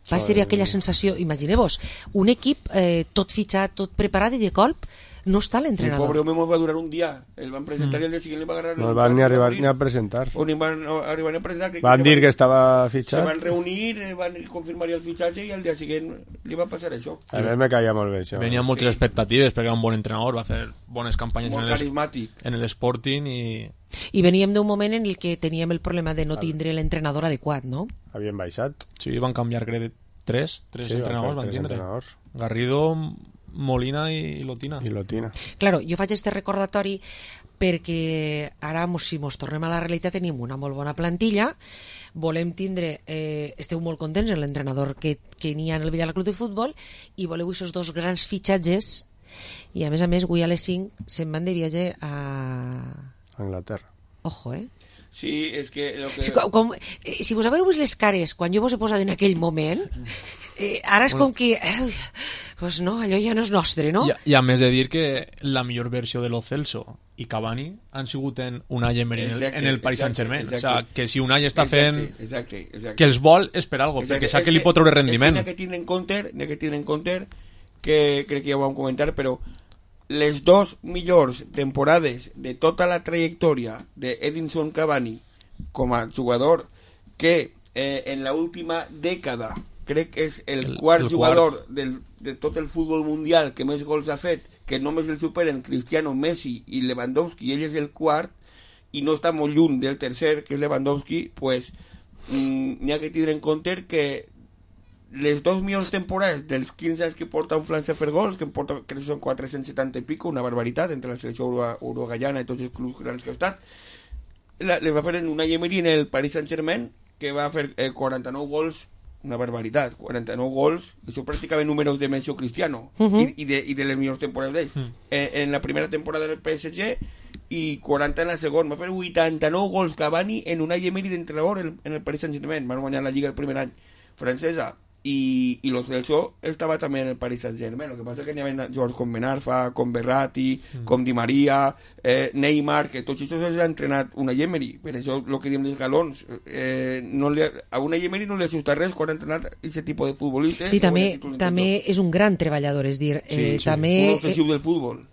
va ser aquella sensació, imagineu-vos, un equip eh, tot fitxat, tot preparat i de colp no està l'entrenador. El pobre home va durar un dia. El van presentar mm. i el dia següent li va agarrar... No el van ni arribar ni a presentar. O ni van arribar ni a presentar. Van dir que estava fitxat. Se van reunir, van confirmar el fitxatge i el dia següent li va passar això. A mi me caia molt bé això. Venien moltes sí. expectatives perquè era un bon entrenador, va fer bones campanyes molt en el, carismàtic. en l'Sporting i... I veníem d'un moment en el que teníem el problema de no tindre l'entrenador adequat, no? Havien baixat. Sí, van canviar, crec, tres, tres sí, entrenadors van, van tindre. Entrenadors. Garrido... Molina i Lotina. I Lotina. Claro, jo faig este recordatori perquè ara, si mos tornem a la realitat, tenim una molt bona plantilla, volem tindre, eh, esteu molt contents en l'entrenador que, que n'hi ha en el Villarreal Club de Futbol i voleu aquests dos grans fitxatges i a més a més avui a les cinc se'n van de viatge a... Anglaterra. Ojo, eh? Sí, és que... Lo que... Si, com, eh, si vos haveu vist les cares quan jo vos he posat en aquell moment, eh, ara és bueno. com que... Eh, pues no, allò ja no és nostre, no? I, i a més de dir que la millor versió de Lo Celso i Cavani han sigut en Unai Emery en el, en el Paris Saint-Germain. O sea, que si Unai està fent... Exacte, exacte, exacte. Que els vol és per algo, exacte. Perquè sap que li pot treure rendiment. És que n'hi ha que tindre en compte, n'hi ha que tindre en compte, que crec que ja ho vam comentar, però les dos millors temporades de tota la trajectòria de Edinson Cavani com a jugador que eh, en la última dècada crec que és el, el quart el jugador quart. Del, de tot el futbol mundial que més gols ha fet, que només el superen Cristiano, Messi i Lewandowski, i ell és el quart i no està molt lluny del tercer que és Lewandowski, pues n'hi ha que tindre en compte que les dos millors temporades dels quinze anys que porta un França a fer gols, que, porta, que són quatre-cents setanta i pico, una barbaritat entre la selecció uruguaiana i tots els clubs grans que ha estat, la, les va fer en Unai Emery en el Paris Saint-Germain, que va fer eh, quaranta-nou gols, una barbaritat, quaranta-nou gols, que són pràcticament números de Messi o Cristiano, uh -huh. i, i, de, i de les millors temporades d'ells. Uh -huh. en, en la primera temporada del P S G i quaranta en la segona, va fer vuitanta-nou gols Cavani en Unai Emery d'entrenador en, en el Paris Saint-Germain, van guanyar la Lliga el primer any francesa. Y, y los Celso estaba también en el Paris Saint-Germain. Lo que pasa es que n'hi havia jugadors com Ben Arfa, com Berratti, mm. com Di Maria, eh, Neymar, que tots aquests els ha entrenat Unai Emery. Per això el que diem dels galons, eh, no li ha, a Unai Emery no li asusta res quan ha entrenat aquest tipus de futbolistes. Sí, també, també és un gran treballador, és dir, eh, sí, també... un obsessiu del futbol.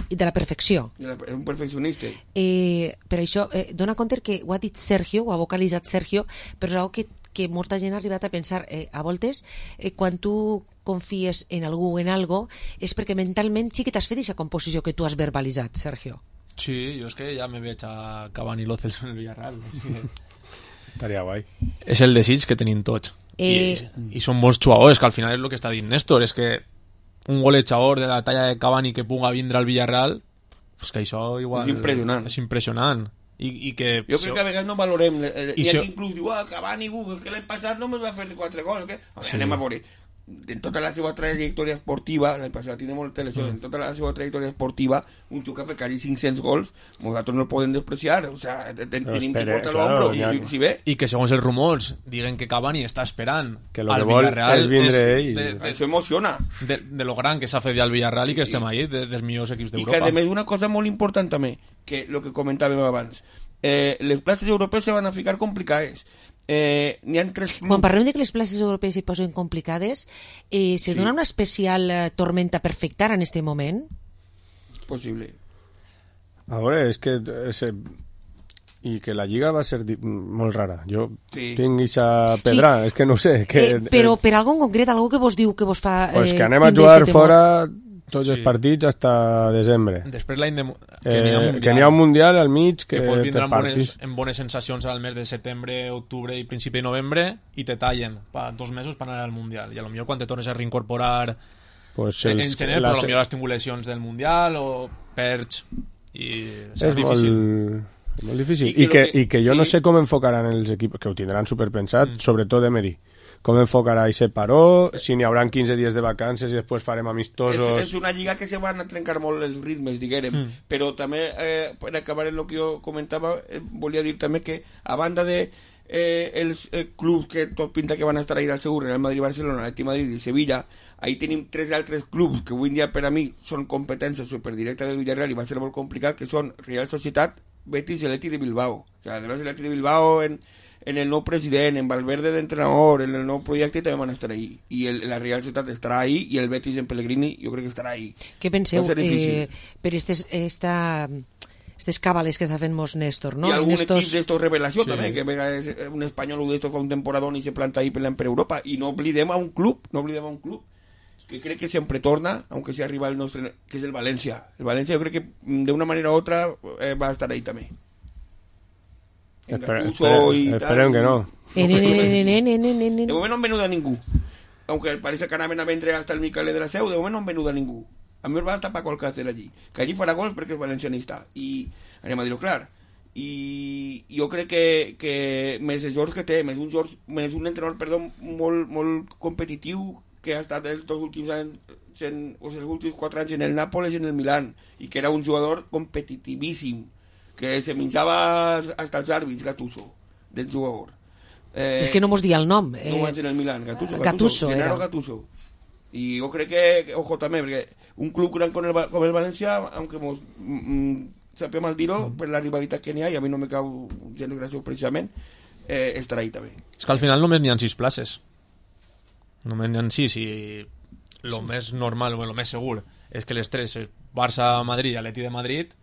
I de la perfecció. De la, és un perfeccionista. Eh, per això, eh, dona compte que ho ha dit Sergio, ho ha vocalitzat Sergio, però és una que que molta gent ha arribat a pensar eh, a voltes, eh, quan tu confies en algú o en algo, és perquè mentalment sí que t'has fet aquesta composició que tu has verbalitzat, Sergio. Sí, jo és que ja me veig a Cavani Lo Celso en el Villarreal. Estaria guai. És el desig que tenim tots. Eh... I, I són molts jugadors, que al final és el que està dient Néstor, és que un golejador de la talla de Cavani que puga vindre al Villarreal, pues que això igual... És impressionant. És impressionant. I, i que jo crec que a vegades no valorem, hi ha si... qui inclús diu, ah, Cavani, uh, que l'any passat no me va fer quatre gols, que... A veure, sí. Anem a veure, en tota la seva trajectòria esportiva, l'any passat tiene molta lesió, mm. en tota la seva trajectòria esportiva, un tio que ha fet quasi cinc-cents gols, nosaltres no el podem despreciar, o sea, ten, tenim que portar l'ombro, claro, i, si ve... I que segons els rumors, diguen que Cavani està esperant que lo al que Villarreal, és vindre ell. De, de, això emociona. De, de lo gran que s'ha fet al Villarreal i que estem ahí, de, dels millors equips d'Europa. I que, a més, una cosa molt important també, que el que comentàvem abans, eh, les places europees se van a ficar complicades. Eh, n'hi ha tres clubs... Quan parlem de que les places europees s'hi posen complicades, eh, se sí. dona una especial eh, tormenta per afectar en este moment? Possible. A veure, és que... És, i que la Lliga va ser di- molt rara. Jo sí. tinc aquesta pedra, sí. és que no sé. Que, eh, però per algo en concret, algo que vos diu que vos fa... Pues eh, que anem a jugar fora... tots sí. els partits fins a desembre. Després l'any de... Que n'hi ha, eh, ha un mundial al mig que, que pot vindre amb bones, amb bones sensacions al mes de setembre, octubre i principi de novembre i te tallen pa dos mesos per anar al mundial i a lo millor quan te tornes a reincorporar pues en, els, en gener, però a lo millor has tingut lesions del mundial o perds i és, és difícil molt, molt difícil i, I, que, que, i que jo sí. no sé com enfocaran els equips que ho tindran superpensat, mm. sobretot Emery. Com enfocarà aquest paró, si n'hi haurà quinze dies de vacances i després farem amistosos... És, és una lliga que se van a trencar molt els ritmes, diguérem, mm. però també, eh, per acabar en el que jo comentava, eh, volia dir també que, a banda de eh, els eh, clubs que tot pinta que van a estar ahí del segur, Real Madrid, Barcelona, Atleti Madrid i Sevilla, ahí tenim tres altres clubs que avui en dia per a mi són competències superdirectes del Villarreal i va ser molt complicat, que són Real Societat, Betis i Atleti de Bilbao. O sea, de l'Atleti de Bilbao en... en el nou president, en Valverde d'entrenador, en el nou projecte també van estar ahí. I el, la Real Societat estarà ahí i el Betis en Pellegrini jo crec que estarà ahí. Què penseu eh, per estes, esta, estes càbales que està fent mos Néstor, no? I algun estos... equip d'estos revelació sí. també, que és un espanyol d'estos fa un temporadón i se planta ahí per Europa. I no oblidem a un club, no oblidem a un club que crec que sempre torna, aunque sea rival nostre, que és el València. El València jo crec que d'una manera u otra eh, va estar ahí també. Espere, espere, esperem que no. De moment no han venut a ningú. Aunque parece que anaven a vendre hasta el Miquel de la Seu, de moment no han venut a ningú. A mi va tapar qualque hacer allí. Que allí farà gols perquè és valencianista. I anem a dir-ho clar. I jo crec que, que més els jocs que té, més un, George, més un entrenador perdó, molt, molt competitiu que ha estat els dos últims anys en, o sigui, els últims quatre anys en el Nàpoles i en el Milan i que era un jugador competitivíssim que se menjava hasta els àrbits, Gattuso, del jugador. Eh, és que no mos dia el nom. Eh, no vaig en el Milan, Gattuso, Gattuso, Gattuso Gennaro Gattuso. I jo crec que, que, ojo també, perquè un club gran com el, com el València, aunque mos mm, sapia mal dir-ho, mm. per la rivalitat que n'hi ha, i a mi no me cau gens de gràcia precisament, eh, estarà ahí també. És que al final només n'hi ha sis places. Només n'hi ha sis i el sí. més normal, o el més segur, és que les tres, Barça, Madrid i Atleti de Madrid,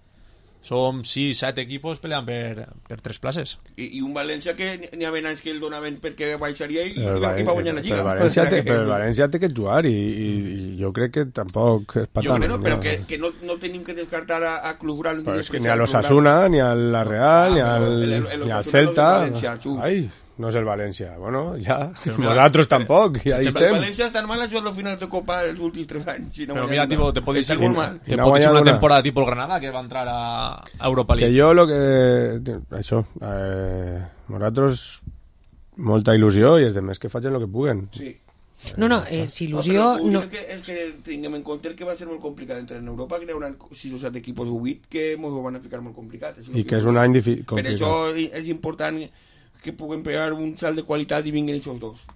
som sis, set equipos peleant per, per tres places. I, i un València que n'hi havia anys que el donaven perquè baixaria i el València va guanyar la Lliga. Però el València, té, però el València té que jugar i, i, i jo crec que tampoc és per tant. Jo crec, però que, que no, no tenim que descartar a, a club gran. Pues ni a l'Osasuna, ni a la Real, ah, ni al, el, el, el ni al Celta. Ai, no és el València. Bueno, ja, nosaltres tampoc, i ahí estem. El València tan mal ha jugat les finals de Copa els últims tres anys. Si no Pero mira, tipo, te puedo decir, molt mal. te puedo decir una temporada tipo el Granada que va a entrar a Europa League. Que jo lo que... Això, eh, nosaltres molta il·lusió i els demés que facin el que puguen. Sí. No, no, eh, si il·lusió... No, no... és que, és que tinguem en compte que va ser molt complicat entrar en Europa, que hi haurà sis o set equipos o vuit que ens ho van a ficar molt complicat. I que és un any difícil. Per això és important que puguem pegar un salt de qualitat i vinguin aquests dos.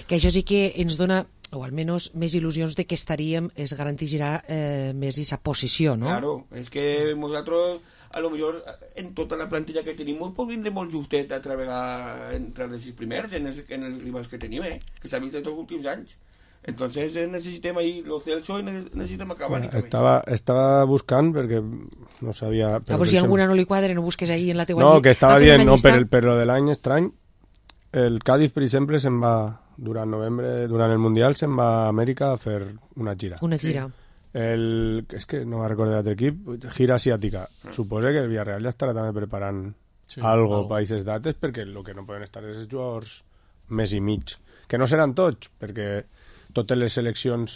Que això sí que ens dona, o almenys més il·lusions de que estaríem, es garantirà eh, més aquesta posició, no? Claro, és que nosaltres, a lo millor, en tota la plantilla que tenim, pot vindre molt justet a treballar entre els sis primers, en els, en els rivals que tenim, eh? Que s'ha vist en els últims anys. Entonces necessitem ahí los Celso i necessitem acabar. Bueno, estava, estava buscant perquè no sabia... A veure si alguna no li quadra, no busques ahí en la teua... No, que estava dient, no, per, per lo de l'any estrany, el Cádiz, per exemple, se'n va, durant novembre, durant el Mundial, se'n va a Amèrica a fer una gira. Una gira. El, és que no me'n recordo l'altre equip, gira asiàtica. Suposa que el Villarreal ja estarà també preparant sí, algo per aquestes dates, perquè el que no poden estar és els jugadors més i mig. Que no seran tots, perquè totes les seleccions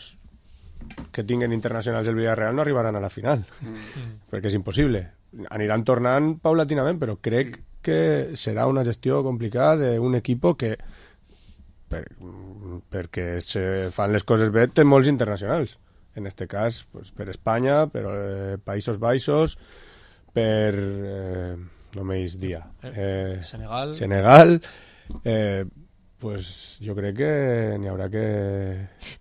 que tinguen internacionals del Villarreal no arribaran a la final, mm. perquè és impossible. Aniran tornant paulatinament, però crec mm. que serà una gestió complicada d'un equip que, per, perquè se fan les coses bé, té molts internacionals. En este cas, pues, per Espanya, per eh, Països Baixos, per... Eh, no m'eix dia. Eh, Senegal. Senegal. Eh, pues jo crec que n'hi haurà que...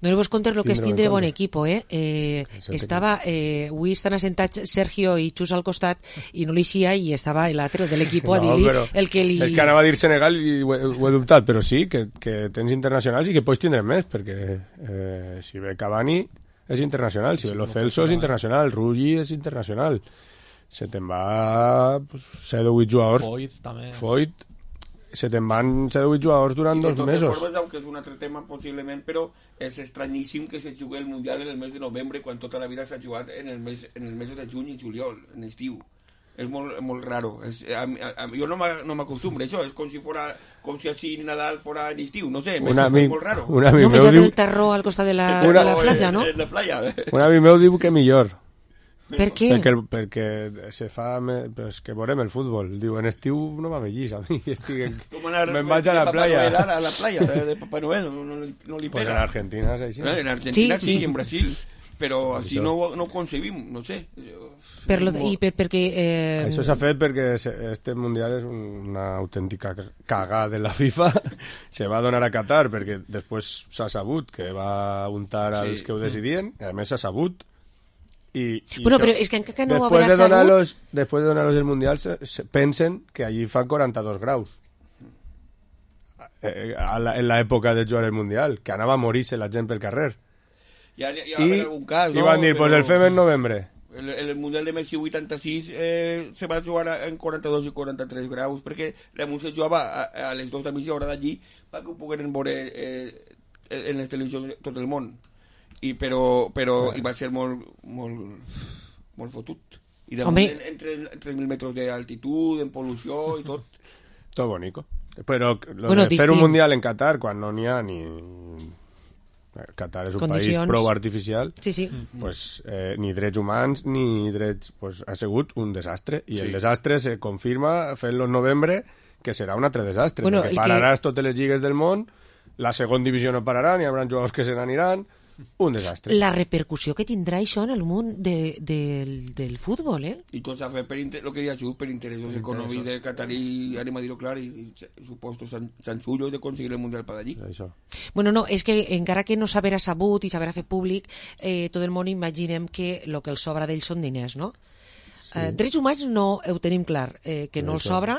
No vos contes el que és tindre bon equipo, eh? eh estava... Eh, avui estan assentats Sergio i Xus al costat i no li xia i estava l'altre de l'equip no, a dir-li el que li... És que anava a dir Senegal i ho he, ho he dubtat, però sí, que, que tens internacionals i que pots tindre més, perquè eh, si ve Cavani és internacional, si ve Lo Celso és internacional, Rulli és internacional. Se te'n va pues, set o vuit jugadors. Foyt també. Foyt. Se te'n van set o vuit jugadors durant dos mesos. Formes, aunque és un altre tema possiblement, però és estranyíssim que se jugui el Mundial en el mes de novembre quan tota la vida s'ha jugat en el mes, en el mes de juny i juliol, en estiu. És molt, molt raro. És, a, a, a, jo no m'acostumbro a això. És com si fora, com si així Nadal fora en estiu. No sé, és molt raro. Un amic no, meu diu... el tarro al costat de la, una, de la platja, no? En la playa. Un amic meu diu que millor. Per què? Perquè, perquè se fa... Pues que veurem el futbol. Diu, en estiu no m'avellís a mi. Estic... Me'n vaig a la playa. A la playa de, de Papá Noel. No, no, no li pega. Pues en Argentina és així. En Argentina sí, sí, sí, en Brasil. Però així no, no ho concebim, no sé. Per lo, I per, perquè... Eh... Això s'ha fet perquè este Mundial és una autèntica cagada de la FIFA. Se va donar a Qatar perquè després s'ha sabut que va untar als sí. que ho decidien. I a més s'ha sabut. I, i bueno, però és que encara no después haurà de sabut... Los, después de donar-los el Mundial se, se pensen que allí fa quaranta-dos graus. Eh, a la, en l'època de jugar el Mundial, que anava a morir-se la gent pel carrer. Hi ha, hi ha I, algun cas, i no? van dir, pues el fem en novembre. El, el Mundial de Mèxic vuitanta-sis eh, se va jugar en quaranta-dos i quaranta-tres graus, perquè la Mun se jugava a, a les dues de mitja hora d'allí perquè ho pogueren veure eh, en les televisions de tot el món. I però, però i va ser molt, molt, molt fotut. I de moment, entre tres mil metres d'altitud, en pol·lució i tot. Tot bonico. Però lo bueno, de fer un Mundial en Qatar, quan no n'hi ha ni... Qatar és un Condicions. país prou artificial, sí, sí. Pues, eh, ni drets humans ni drets... Pues, ha sigut un desastre. I sí. el desastre se confirma fent-lo en novembre, que serà un altre desastre. Bueno, perquè pararàs que... totes les lligues del món, la segona divisió no pararà, n'hi haurà jugadors que se n'aniran... Un desastre. La repercussió que tindrà això en el món de, de, del, del futbol, eh? I tot s'ha fet per, inter... lo que deia Xus, per interessos econòmics de Qatar i, anem a dir-ho clar, i, i supostos sansullos de conseguir el Mundial per allí. Això. Bueno, no, és que encara que no s'haverà sabut i s'haverà fet públic, eh, tot el món imaginem que el que els sobra d'ells són diners, no? Sí. Eh, drets humans no ho tenim clar, eh, que no els sobra,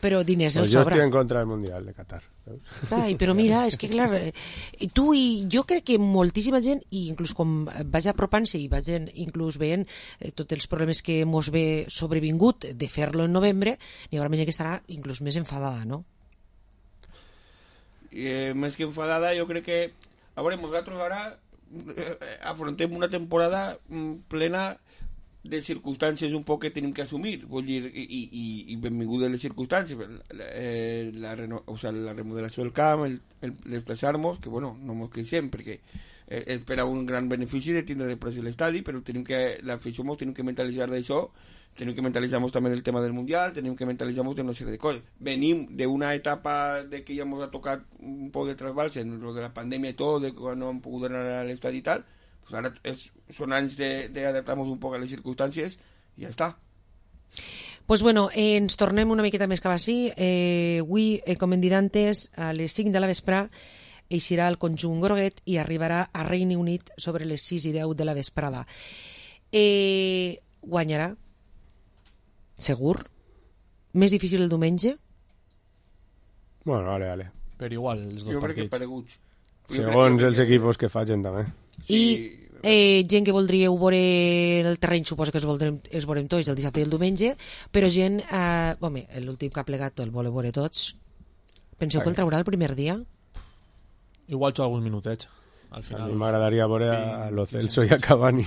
però diners pues els jo sobra. Jo estic en contra del Mundial de Qatar. Ai, però mira, és que clar, eh, tu i jo crec que moltíssima gent, i inclús com vaig apropant-se i vaig inclús veient eh, tots els problemes que mos ve sobrevingut de fer-lo en novembre, n'hi haurà gent que estarà inclús més enfadada, no? Eh, més que enfadada, jo crec que a veure, nosaltres ara eh, afrontem una temporada plena de circumstàncies un poc que tenim que assumir, vull dir, i, i, i benvingudes les circumstàncies, la, eh, la, reno, o sea, la remodelació del camp, el, el desplaçar-nos, que bueno, no ens queixem, perquè eh, és per a un gran benefici de tindre després l'estadi, però tenim que, l'afició mos tenim que mentalitzar d'això, tenim que mentalitzar-nos també del tema del Mundial, tenim que mentalitzar-nos de una sèrie de coses. Venim d'una etapa de que ja ens ha tocat un poc de trasbals en lo de la pandèmia i tot, de quan no hem pogut anar a l'estadi i tal, pues ara és, són anys d'adaptar-nos un poc a les circumstàncies i ja està. Pues bueno, eh, ens tornem una miqueta més cap així. Eh, avui, eh, com hem dit antes, a les cinc de la vesprà eixirà el conjunt groguet i arribarà a Regne Unit sobre les sis i deu de la vesprada. Eh, guanyarà? Segur? Més difícil el diumenge? Bueno, vale, vale. Per igual, els dos jo partits. Crec que pareguts. Segons els equipos que facin també. I eh, gent que voldríeu veure el terreny, suposa que es veurem, es veurem tots el dissabte i el diumenge, però gent, eh, home, l'últim que ha plegat el voleu veure tots. Penseu que el traurà el primer dia? Igual xo alguns minutets. Al final. A mi m'agradaria veure a Lo Celso i a Cavani.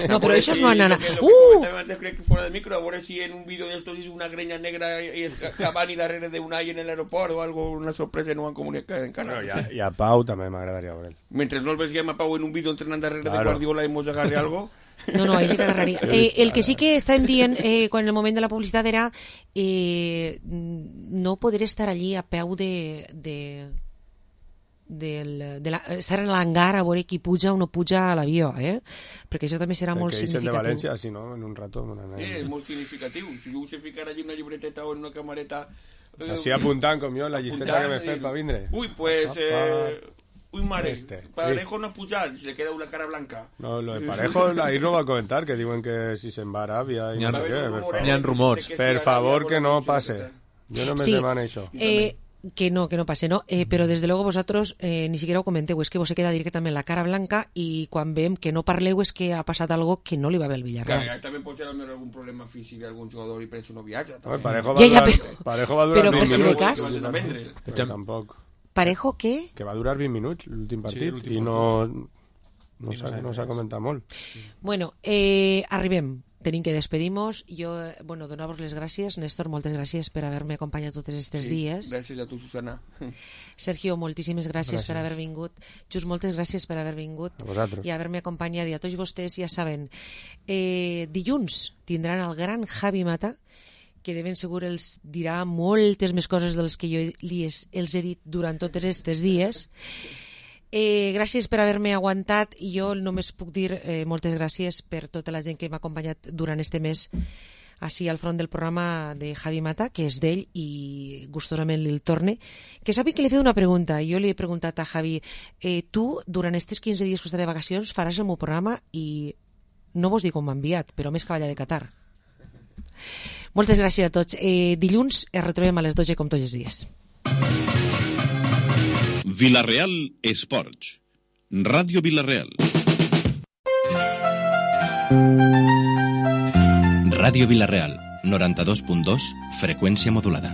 No, però això no han anat. Uh! Antes crec que fora del micro, a veure si en un vídeo d'estos és una greña negra i és Cavani darrere d'Unai en l'aeroport o algo, una sorpresa no han comunicat encara. No, i, a, I a Pau també m'agradaria veure. Mentre no el veiem a Pau en un vídeo entrenant darrere claro. de Guardiola i mos agarre algo... No, no, ahí sí que agarraria. Eh, el que sí que estàvem dient eh, quan en el moment de la publicitat era eh, no poder estar allí a peu de... de... Del, de la, estar en l'hangar a veure qui puja o no puja a l'avió, eh? Perquè això també serà el molt significatiu. de València, si no, en un rato... Una... Eh, és molt significatiu. Si jo us he ficat allí una llibreteta o en una camareta... Eh, Així apuntant, com jo, la llisteta que m'he fet per vindre. Ui, pues... Eh, ui, mare, este. Parejo no ha pujat, se le queda una cara blanca. No, lo de Parejo, ahí no va a comentar, que diuen que si se'n va a Aràbia... N'hi ha, ha rumors. Per favor, que no passe. Jo no me sí. demano això. Eh, que no, que no pase, ¿no? Eh, pero desde luego vosotros eh, ni siquiera ho comenteu, es que vos se queda directament la cara blanca i quan veiem que no parleu és que ha passat algo que no li va bé al Villarreal. Clar, també pot ser algun problema físic d'algun jugador i per això no viatja. No, Parejo, va ja, ja, durar, però, Parejo va durar però vint per si de cas... minuts. Però tampoc. Parejo què? Que va durar vint minuts l'últim partit sí, i no, no s'ha no comentat molt. Bueno, eh, arribem. Tenim que despedir-nos. Jo, bueno, donar-vos les gràcies. Néstor, moltes gràcies per haver-me acompanyat tots aquests sí, dies. Gràcies a tu, Susana. Sergio, moltíssimes gràcies, gràcies per haver vingut. Just, moltes gràcies per haver vingut. A vosaltres. I haver-me acompanyat. I a tots vostès ja saben, eh, dilluns tindran el gran Javi Mata, que de ben segur els dirà moltes més coses dels que jo li els he dit durant tots aquests dies. Eh, gràcies per haver-me aguantat i jo només puc dir eh, moltes gràcies per tota la gent que m'ha acompanyat durant este mes així al front del programa de Javi Mata, que és d'ell i gustosament li'l torne. Que sabi que li he fet una pregunta i jo li he preguntat a Javi, eh, tu durant aquests quinze dies que està de vacacions faràs el meu programa i no vos dic on m'ha enviat, però més cavalla de Qatar. Moltes gràcies a tots. Eh, dilluns es retrobem a les dotze com tots els dies. Villarreal Esports. Ràdio Villarreal. Ràdio Villarreal, noranta-dos punt dos, freqüència modulada.